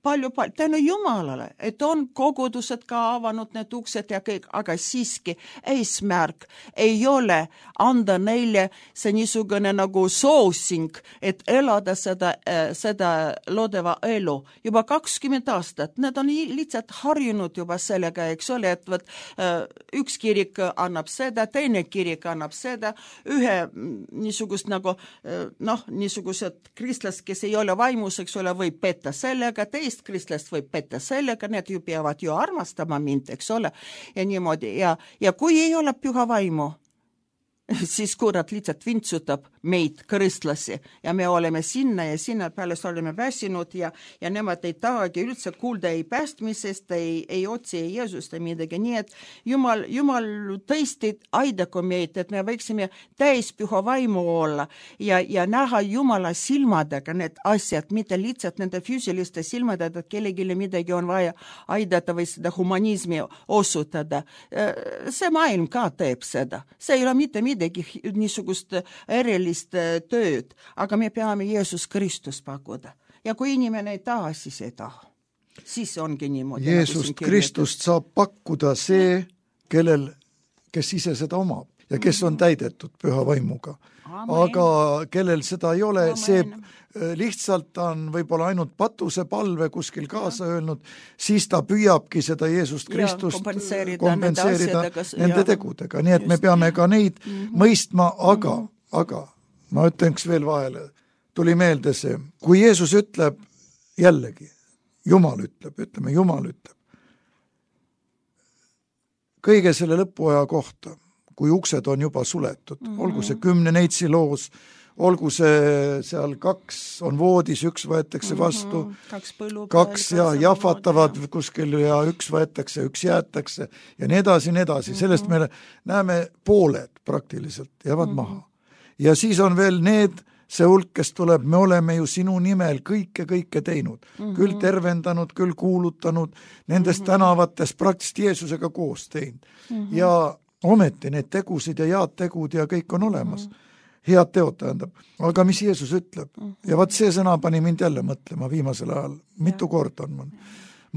S2: palju, tänu Jumalale, et on kogudused ka avanud need uksed ja kõik, aga siiski eesmärk ei ole anda neile see niisugune nagu soosing, et elada seda loodava elu. Juba 20 aastat, need on lihtsalt harjunud juba sellega, eks ole, et üks kirik annab seda, teine kirik annab seda, ühe niisugust nagu niisugused kristlast, kes ei ole vaimus, eks ole, võib petta sellega, teist kristlast võib petta sellega, need ju peavad ju armastama mind, eks ole, ja niimoodi, ja kui ei ole püha vaimu, siis kurat lihtsalt vintsutab meid kristlasi ja me oleme sinna ja sinna peale oleme väsinud ja nemad ei tahagi üldse kuulda ei päästmisest, ei otsi ei Jeesust ja midagi, nii et Jumal tõesti aidaku meid, et me võiksime täis püha vaimu olla ja näha Jumala silmadega need asjad, mitte lihtsalt nende füüsiliste silmadega, et kellelegi midagi on vaja aidata või seda humanismi osutada. See maailm ka teeb seda, see ei ole mitte midagi niisugust erilist tööd, aga me peame Jeesus Kristus pakkuda. Ja kui inimene ei taha, siis ei taha. Siis ongi niimoodi.
S1: Jeesust Kristust saab pakkuda see, kes ise seda omab ja kes on täidetud püha vaimuga. Amen. Aga kellel seda ei ole, see lihtsalt on võib-olla ainult patuse palve kuskil kaasa öelnud, siis ta püüabki seda Jeesust Kristust kompenseerida nende tegudega. Nii et me peame ka neid mõistma, aga ma ütleks veel vahele, tuli meelde see, kui Jeesus ütleb jällegi, Jumal ütleb, kõige selle lõpuaja kohta, kui uksed on juba suletud, olgu see 10 neitsi loos, olgu see seal 2 on voodis, 1 võetakse vastu, 2 ja jahvatavad kuskil ja 1 võetakse, 1 jäetakse ja nii edasi. Sellest me näeme pooled praktiliselt jäävad maha. Ja siis on veel see hulk, kes tuleb, me oleme ju sinu nimel kõike teinud, küll tervendanud, küll kuulutanud, nendes tänavates praktiliselt Jeesusega koos teinud. Ja ometi need tegusid ja head tegud ja kõik on olemas. Head teod tähendab. Aga mis Jeesus ütleb? Ja vaat see sõna pani mind jälle mõtlema viimasel ajal. Mitu korda on mul.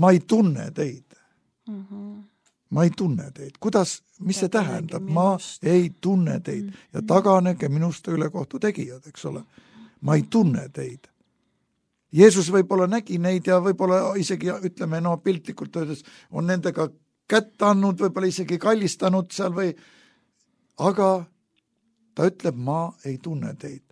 S1: Ma ei tunne teid. Ma ei tunne teid. Kuidas, mis see tähendab? Ma ei tunne teid. Ja taganege minust ülekohtu tegijad, eks ole. Ma ei tunne teid. Jeesus võib-olla nägi neid ja võib-olla isegi, ütleme, piltlikult öeldes, on nendega kätt andnud, võib-olla isegi kallistanud seal aga ta ütleb, ma ei tunne teid.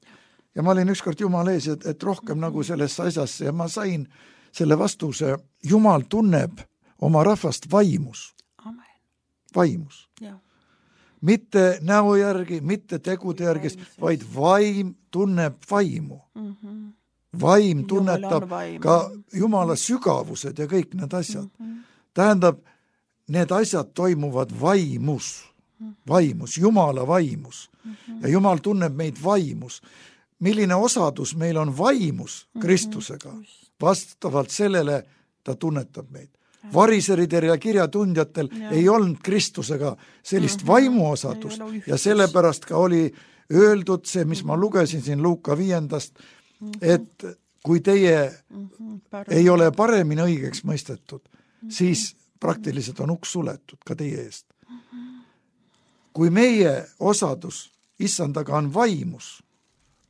S1: Ja ma olin ükskord Jumal ees, et rohkem nagu sellesse asjasse ja ma sain selle vastuse, Jumal tunneb oma rahvast vaimus.
S2: Amen.
S1: Vaimus. Ja. Mitte näo järgi, mitte tegude järgi, vaid vaim tunneb vaimu. Vaim tunnetab ka Jumala sügavused ja kõik need asjad. Tähendab, need asjad toimuvad vaimus, Jumala vaimus. Ja Jumal tunneb meid vaimus. Milline osadus meil on vaimus Kristusega, vastavalt sellele ta tunnetab meid. Variseridel ja kirjatundjatel ei olnud Kristusega sellist vaimuosadust ja sellepärast ka oli öeldud see, mis ma lugesin siin Luuka 5, et kui teie ei ole paremini õigeks mõistetud, siis praktiliselt on uks suletud ka teie eest. Kui meie osadus Issandaga on vaimus,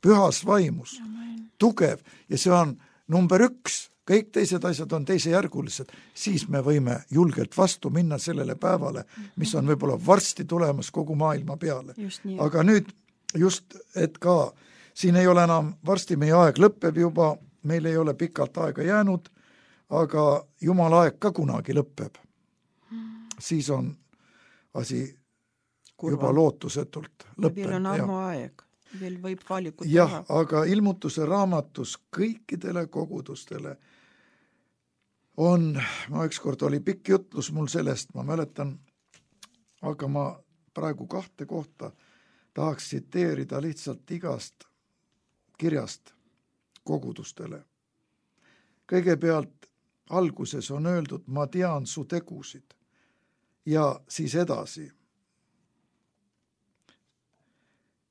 S1: pühas vaimus, tugev ja see on number 1, kõik teised asjad on teisejärgulised, siis me võime julgelt vastu minna sellele päevale, mis on võib-olla varsti tulemas kogu maailma peale. Aga nüüd just, et ka siin ei ole enam, varsti meie aeg lõpeb juba, meil ei ole pikalt aega jäänud, aga Jumala aeg ka kunagi lõpeb. Siis on asi juba lootusetult lõpeb.
S2: Meil on armu aeg. veel võib valikut
S1: jah, aga ilmutuse raamatus kõikidele kogudustele on, ma ükskord oli pikk jutlus mul sellest, ma mäletan, aga ma praegu 2 kohta tahaks tsiteerida lihtsalt igast kirjast kogudustele. Kõigepealt alguses on öeldud, ma tean su tegusid ja siis edasi.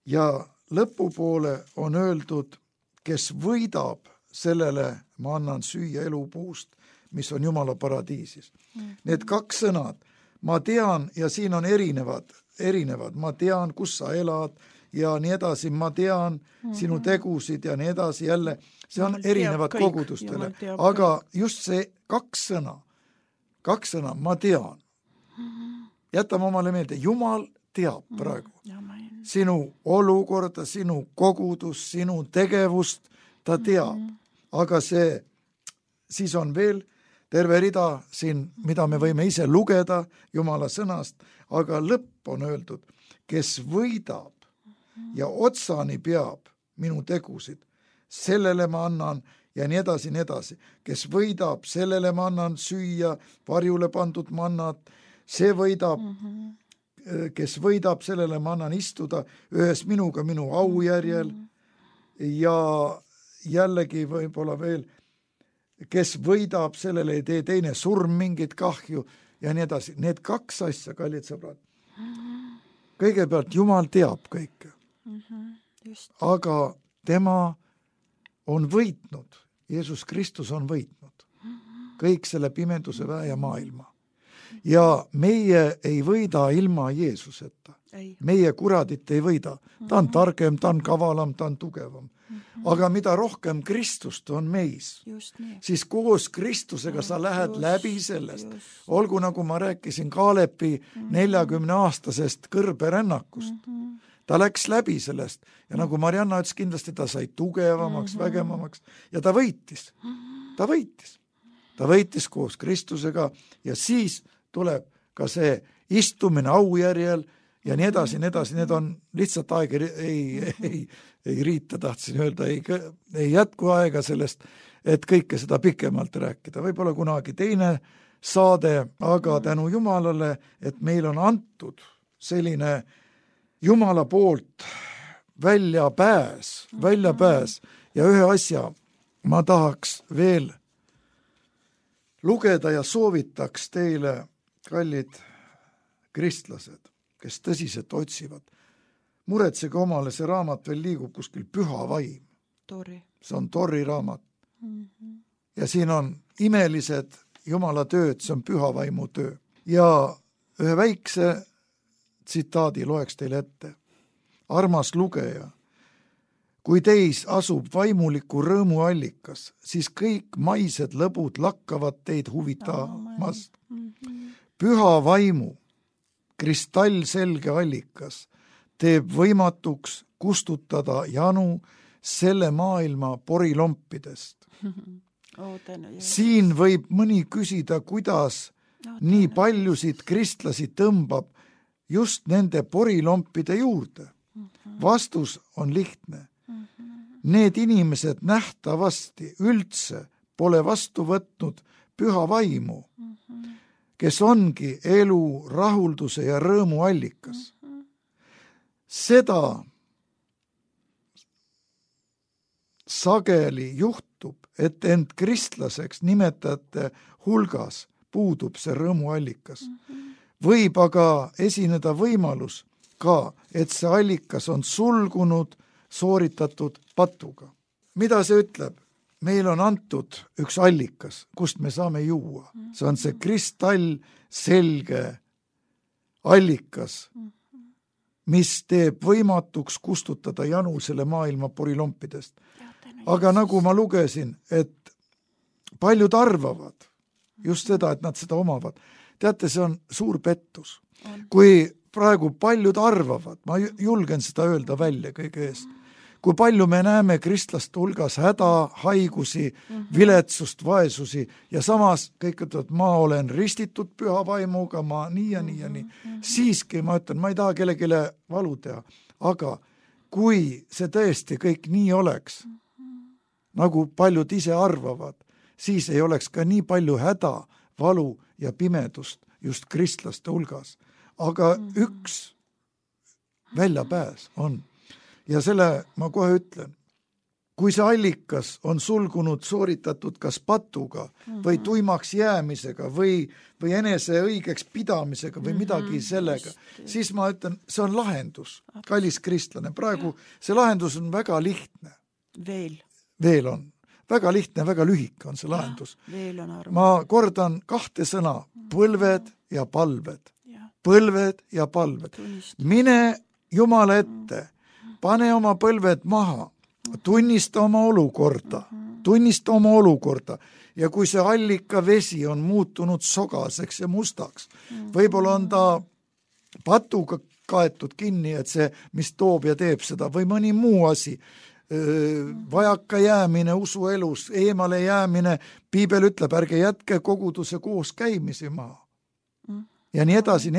S1: Ja lõpupoole on öeldud, kes võidab, sellele ma annan süüa elupuust, mis on Jumala paradiisis. Need 2 sõnad, ma tean ja siin on erinevad, ma tean, kus sa elad ja nii edasi, ma tean sinu tegusid ja nii edasi, jälle, see on erinevad kogudustele, aga just see 2 sõna, ma tean. Jätame omale meelde, Jumal teab praegu sinu olukorda, sinu kogudus, sinu tegevust, ta teab, aga siis on veel terve rida siin, mida me võime ise lugeda Jumala sõnast, aga lõpp on öeldud, kes võidab ja otsani peab minu tegusid, sellele ma annan ja nii edasi, kes võidab, sellele ma annan süüa, varjule pandud mannat, see võidab, kes võidab, sellele ma annan istuda ühes minuga minu aujärjel ja jällegi võib-olla veel, kes võidab, sellele ei tee teine surm mingit kahju ja nii edasi. Need 2 asja, kallid sõbrad. Kõigepealt Jumal teab kõike, aga tema on võitnud, Jeesus Kristus on võitnud kõik selle pimeduse väe ja maailma. Ja meie ei võida ilma Jeesuseta. Meie kuradit ei võida. Ta on targem, ta on kavalam, ta on tugevam. Aga mida rohkem Kristust on meis, siis koos Kristusega sa lähed läbi sellest. Olgu, nagu ma rääkisin Kaalepi 40-aastasest kõrberännakust. Ta läks läbi sellest ja nagu Marianna ütles, kindlasti ta sai tugevamaks, vägevamaks ja ta võitis. Ta võitis koos Kristusega ja siis tuleb ka see istumine aujärjel ja nii edasi, need on lihtsalt aeg ei riita, tahtsin öelda, ei jätku aega sellest, et kõike seda pikemalt rääkida. Võib-olla kunagi teine saade, aga tänu Jumalale, et meil on antud selline Jumala poolt väljapääs ja ühe asja ma tahaks veel lugeda ja soovitaks teile, kallid kristlased, kes tõsiselt otsivad. Muretsege omale, see raamat veel liigub kuskil Püha vaim. See on Torri raamat. Ja siin on imelised Jumala tööd, see on Püha vaimu töö. Ja ühe väikse tsitaadi loeks teile ette. Armas lugeja, kui teis asub vaimuliku rõõmu allikas, siis kõik maised lõbud lakkavad teid huvitamast. Püha vaimu kristallselge allikas teeb võimatuks kustutada janu selle maailma porilompidest. Siin võib mõni küsida, kuidas nii paljusid kristlasi tõmbab just nende porilompide juurde. Vastus on lihtne. Need inimesed nähtavasti üldse pole vastu võtnud püha vaimu, kes ongi elu, rahulduse ja rõõmu allikas. Seda sageli juhtub, et end kristlaseks nimetajate hulgas puudub see rõõmu allikas. Võib aga esineda võimalus ka, et see allikas on sulgunud sooritatud patuga. Mida see ütleb? Meil on antud üks allikas, kust me saame juua. See on see kristall selge allikas, mis teeb võimatuks kustutada janu selle maailma porilompidest. Aga nagu ma lugesin, et paljud arvavad just seda, et nad seda omavad. Teate, see on suur pettus. Kui praegu paljud arvavad, ma julgen seda öelda välja kõige eest, kui palju me näeme kristlaste hulgas häda, haigusi, viletsust, vaesusi ja samas kõik ütlevad, ma olen ristitud püha vaimuga, ma nii ja nii ja nii. Siiski ma ütlen, ma ei taha kellelegi valu teha, aga kui see tõesti kõik nii oleks, nagu paljud ise arvavad, siis ei oleks ka nii palju häda, valu ja pimedust just kristlaste hulgas. Aga üks väljapääs on. Ja selle ma kohe ütlen, kui see allikas on sulgunud sooritatud kas patuga või tuimaks jäämisega või enese õigeks pidamisega või midagi sellega, siis ma ütlen, see on lahendus, kallis kristlane. Praegu see lahendus on väga lihtne. Veel on. Väga lihtne, väga lühike on see lahendus. Ma kordan 2 sõna, põlved ja palved. Põlved ja palved. Mine Jumala ette, pane oma põlved maha, tunnista oma olukorda ja kui see allika vesi on muutunud sogaseks ja mustaks, võib-olla on ta patuga kaetud kinni, et see, mis toob ja teeb seda, või mõni muu asi, vajaka jäämine usuelus, eemale jäämine, piibel ütleb, ärge jätke koguduse koos käimisi maha. Ja nii edasi.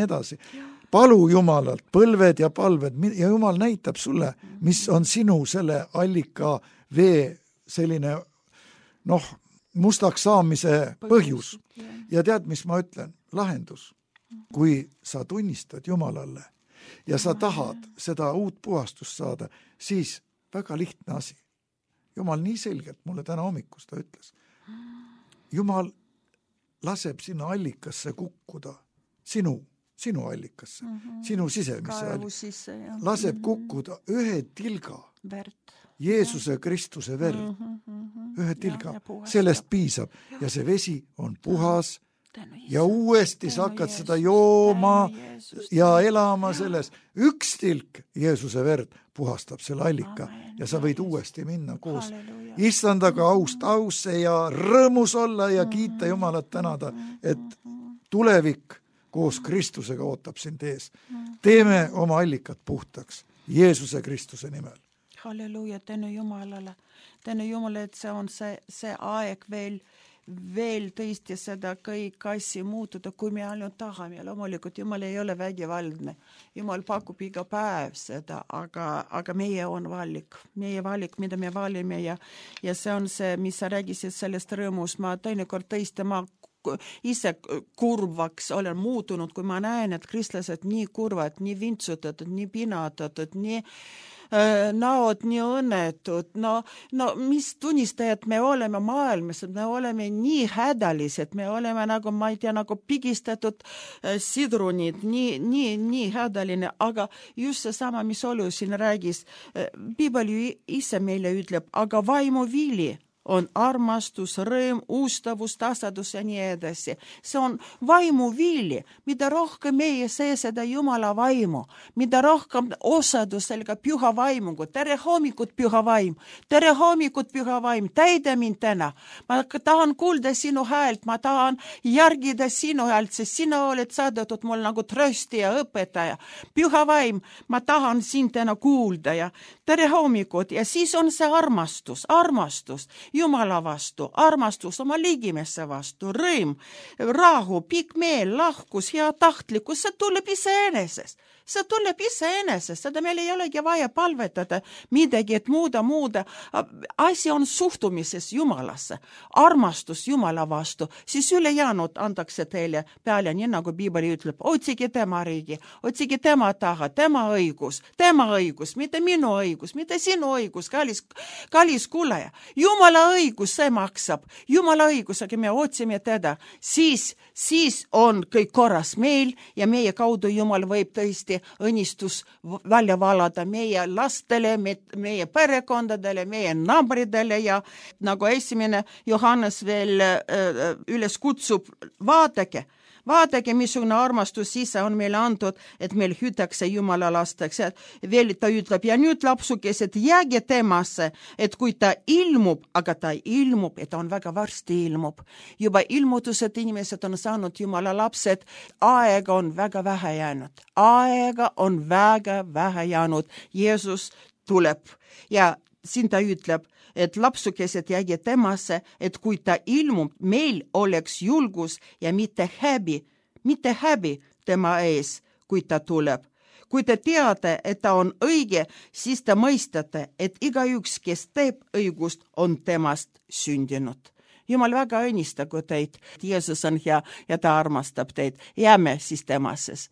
S1: Palu Jumalalt põlved ja palved ja Jumal näitab sulle, mis on sinu selle allika vee selline mustaks saamise põhjus. Ja tead, mis ma ütlen? Lahendus. Kui sa tunnistad Jumalale ja sa tahad seda uut puhastust saada, siis väga lihtne asi. Jumal nii selgelt mulle täna hommikust ta ütles. Jumal laseb sinna allikasse kukkuda, sinu allikasse, sinu sisemisse allikasse. Laseb kukkuda ühe tilga Jeesuse Kristuse verd. Ühe tilga. Sellest piisab ja see vesi on puhas ja uuesti sa hakkad seda jooma ja elama selles. Üks tilk Jeesuse verd puhastab selle allika ja sa võid uuesti minna koos Issandaga aust ausse ja rõõmus olla ja kiita Jumalat tänada, et tulevik koos Kristusega ootab sind ees. Teeme oma allikat puhtaks Jeesuse Kristuse nimel.
S2: Halleluja, tänu Jumalale. Tänu Jumala, et see on see aeg veel tõesti seda kõik asja muutuda, kui me ainult tahame. Loomulikult Jumal ei ole vägivaldne. Jumal pakub iga päev seda, aga meie on valik. Meie valik, mida me valime ja see on see, mis sa räägisid sellest rõõmus. Ma teinekord tõesti ise kurvaks olen muutunud, kui ma näen, et kristlased nii kurvad, nii vintsutatud, nii pinatatud, nii näod nii õnnetud. No mis tunnistajad me oleme maailmas, me oleme nii hädalised, me oleme nagu, ma ei tea, nagu pigistatud sidrunid, nii hädaline, aga just see sama, mis Olu siin räägis, piibel ise meile ütleb, aga vaimu vili on armastus, rõõm, ustavus, tasadus ja nii edasi. See on vaimu vili, mida rohkem meie seda Jumala vaimu, mida rohkem osadus sellega püha vaimuga. Tere hommikut, püha vaim! Tere hommikut, püha vaim! Täida mind täna! Ma tahan kuulda sinu häält, ma tahan järgida sinu häält, sest sina oled saadetud mul nagu trösti ja õpetaja. Püha vaim, ma tahan sind täna kuulda ja tere hommikut ja siis on see armastus. Jumala vastu, armastus oma ligimesse vastu, rõõm, rahu, pikk meel, lahkus, hea tahtlikkus, see tuleb iseenesest. Seda meil ei olegi vaja palvetada midagi, et muuda. Asi on suhtumises Jumalasse, armastus Jumala vastu, siis ülejäänud antakse teile peale, nii nagu piibel ütleb, otsige tema riigi, otsige tema taha, tema õigus, mitte minu õigus, mitte sinu õigus, kallis kuulaja. Jumala õigus, see maksab. Jumala õigus, aga me otsime teda. Siis on kõik korras meil ja meie kaudu Jumal võib tõesti õnnistus välja valada meie lastele, meie perekondadele, meie naabridele ja nagu esimene Johannes veel üles kutsub, vaadake, missugune armastus ise on meile antud, et meil hüütakse Jumala lasteks. Veel ta ütleb, ja nüüd lapsukesed, jääge temasse, et kui ta ilmub, aga ta ilmub, et ta on väga varsti ilmub. Juba ilmutused inimesed on saanud Jumala lapsed, aega on väga vähe jäänud. Jeesus tuleb ja siin ta ütleb, et lapsukesed jääge temasse, et kui ta ilmub, meil oleks julgus ja mitte häbi tema ees, kui ta tuleb. Kui te teate, et ta on õige, siis te mõistate, et igaüks, kes teeb õigust, on temast sündinud. Jumal väga õnnistagu teid, Jeesus on hea ja ta armastab teid. Jääme siis temases.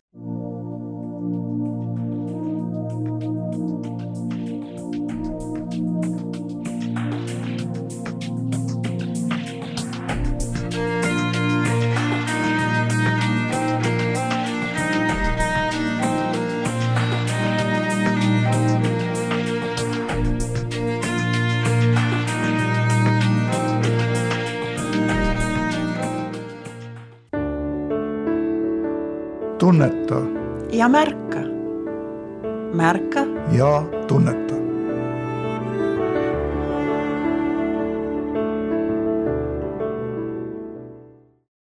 S1: Tunneta
S2: ja märka. Märka
S1: ja tunneta.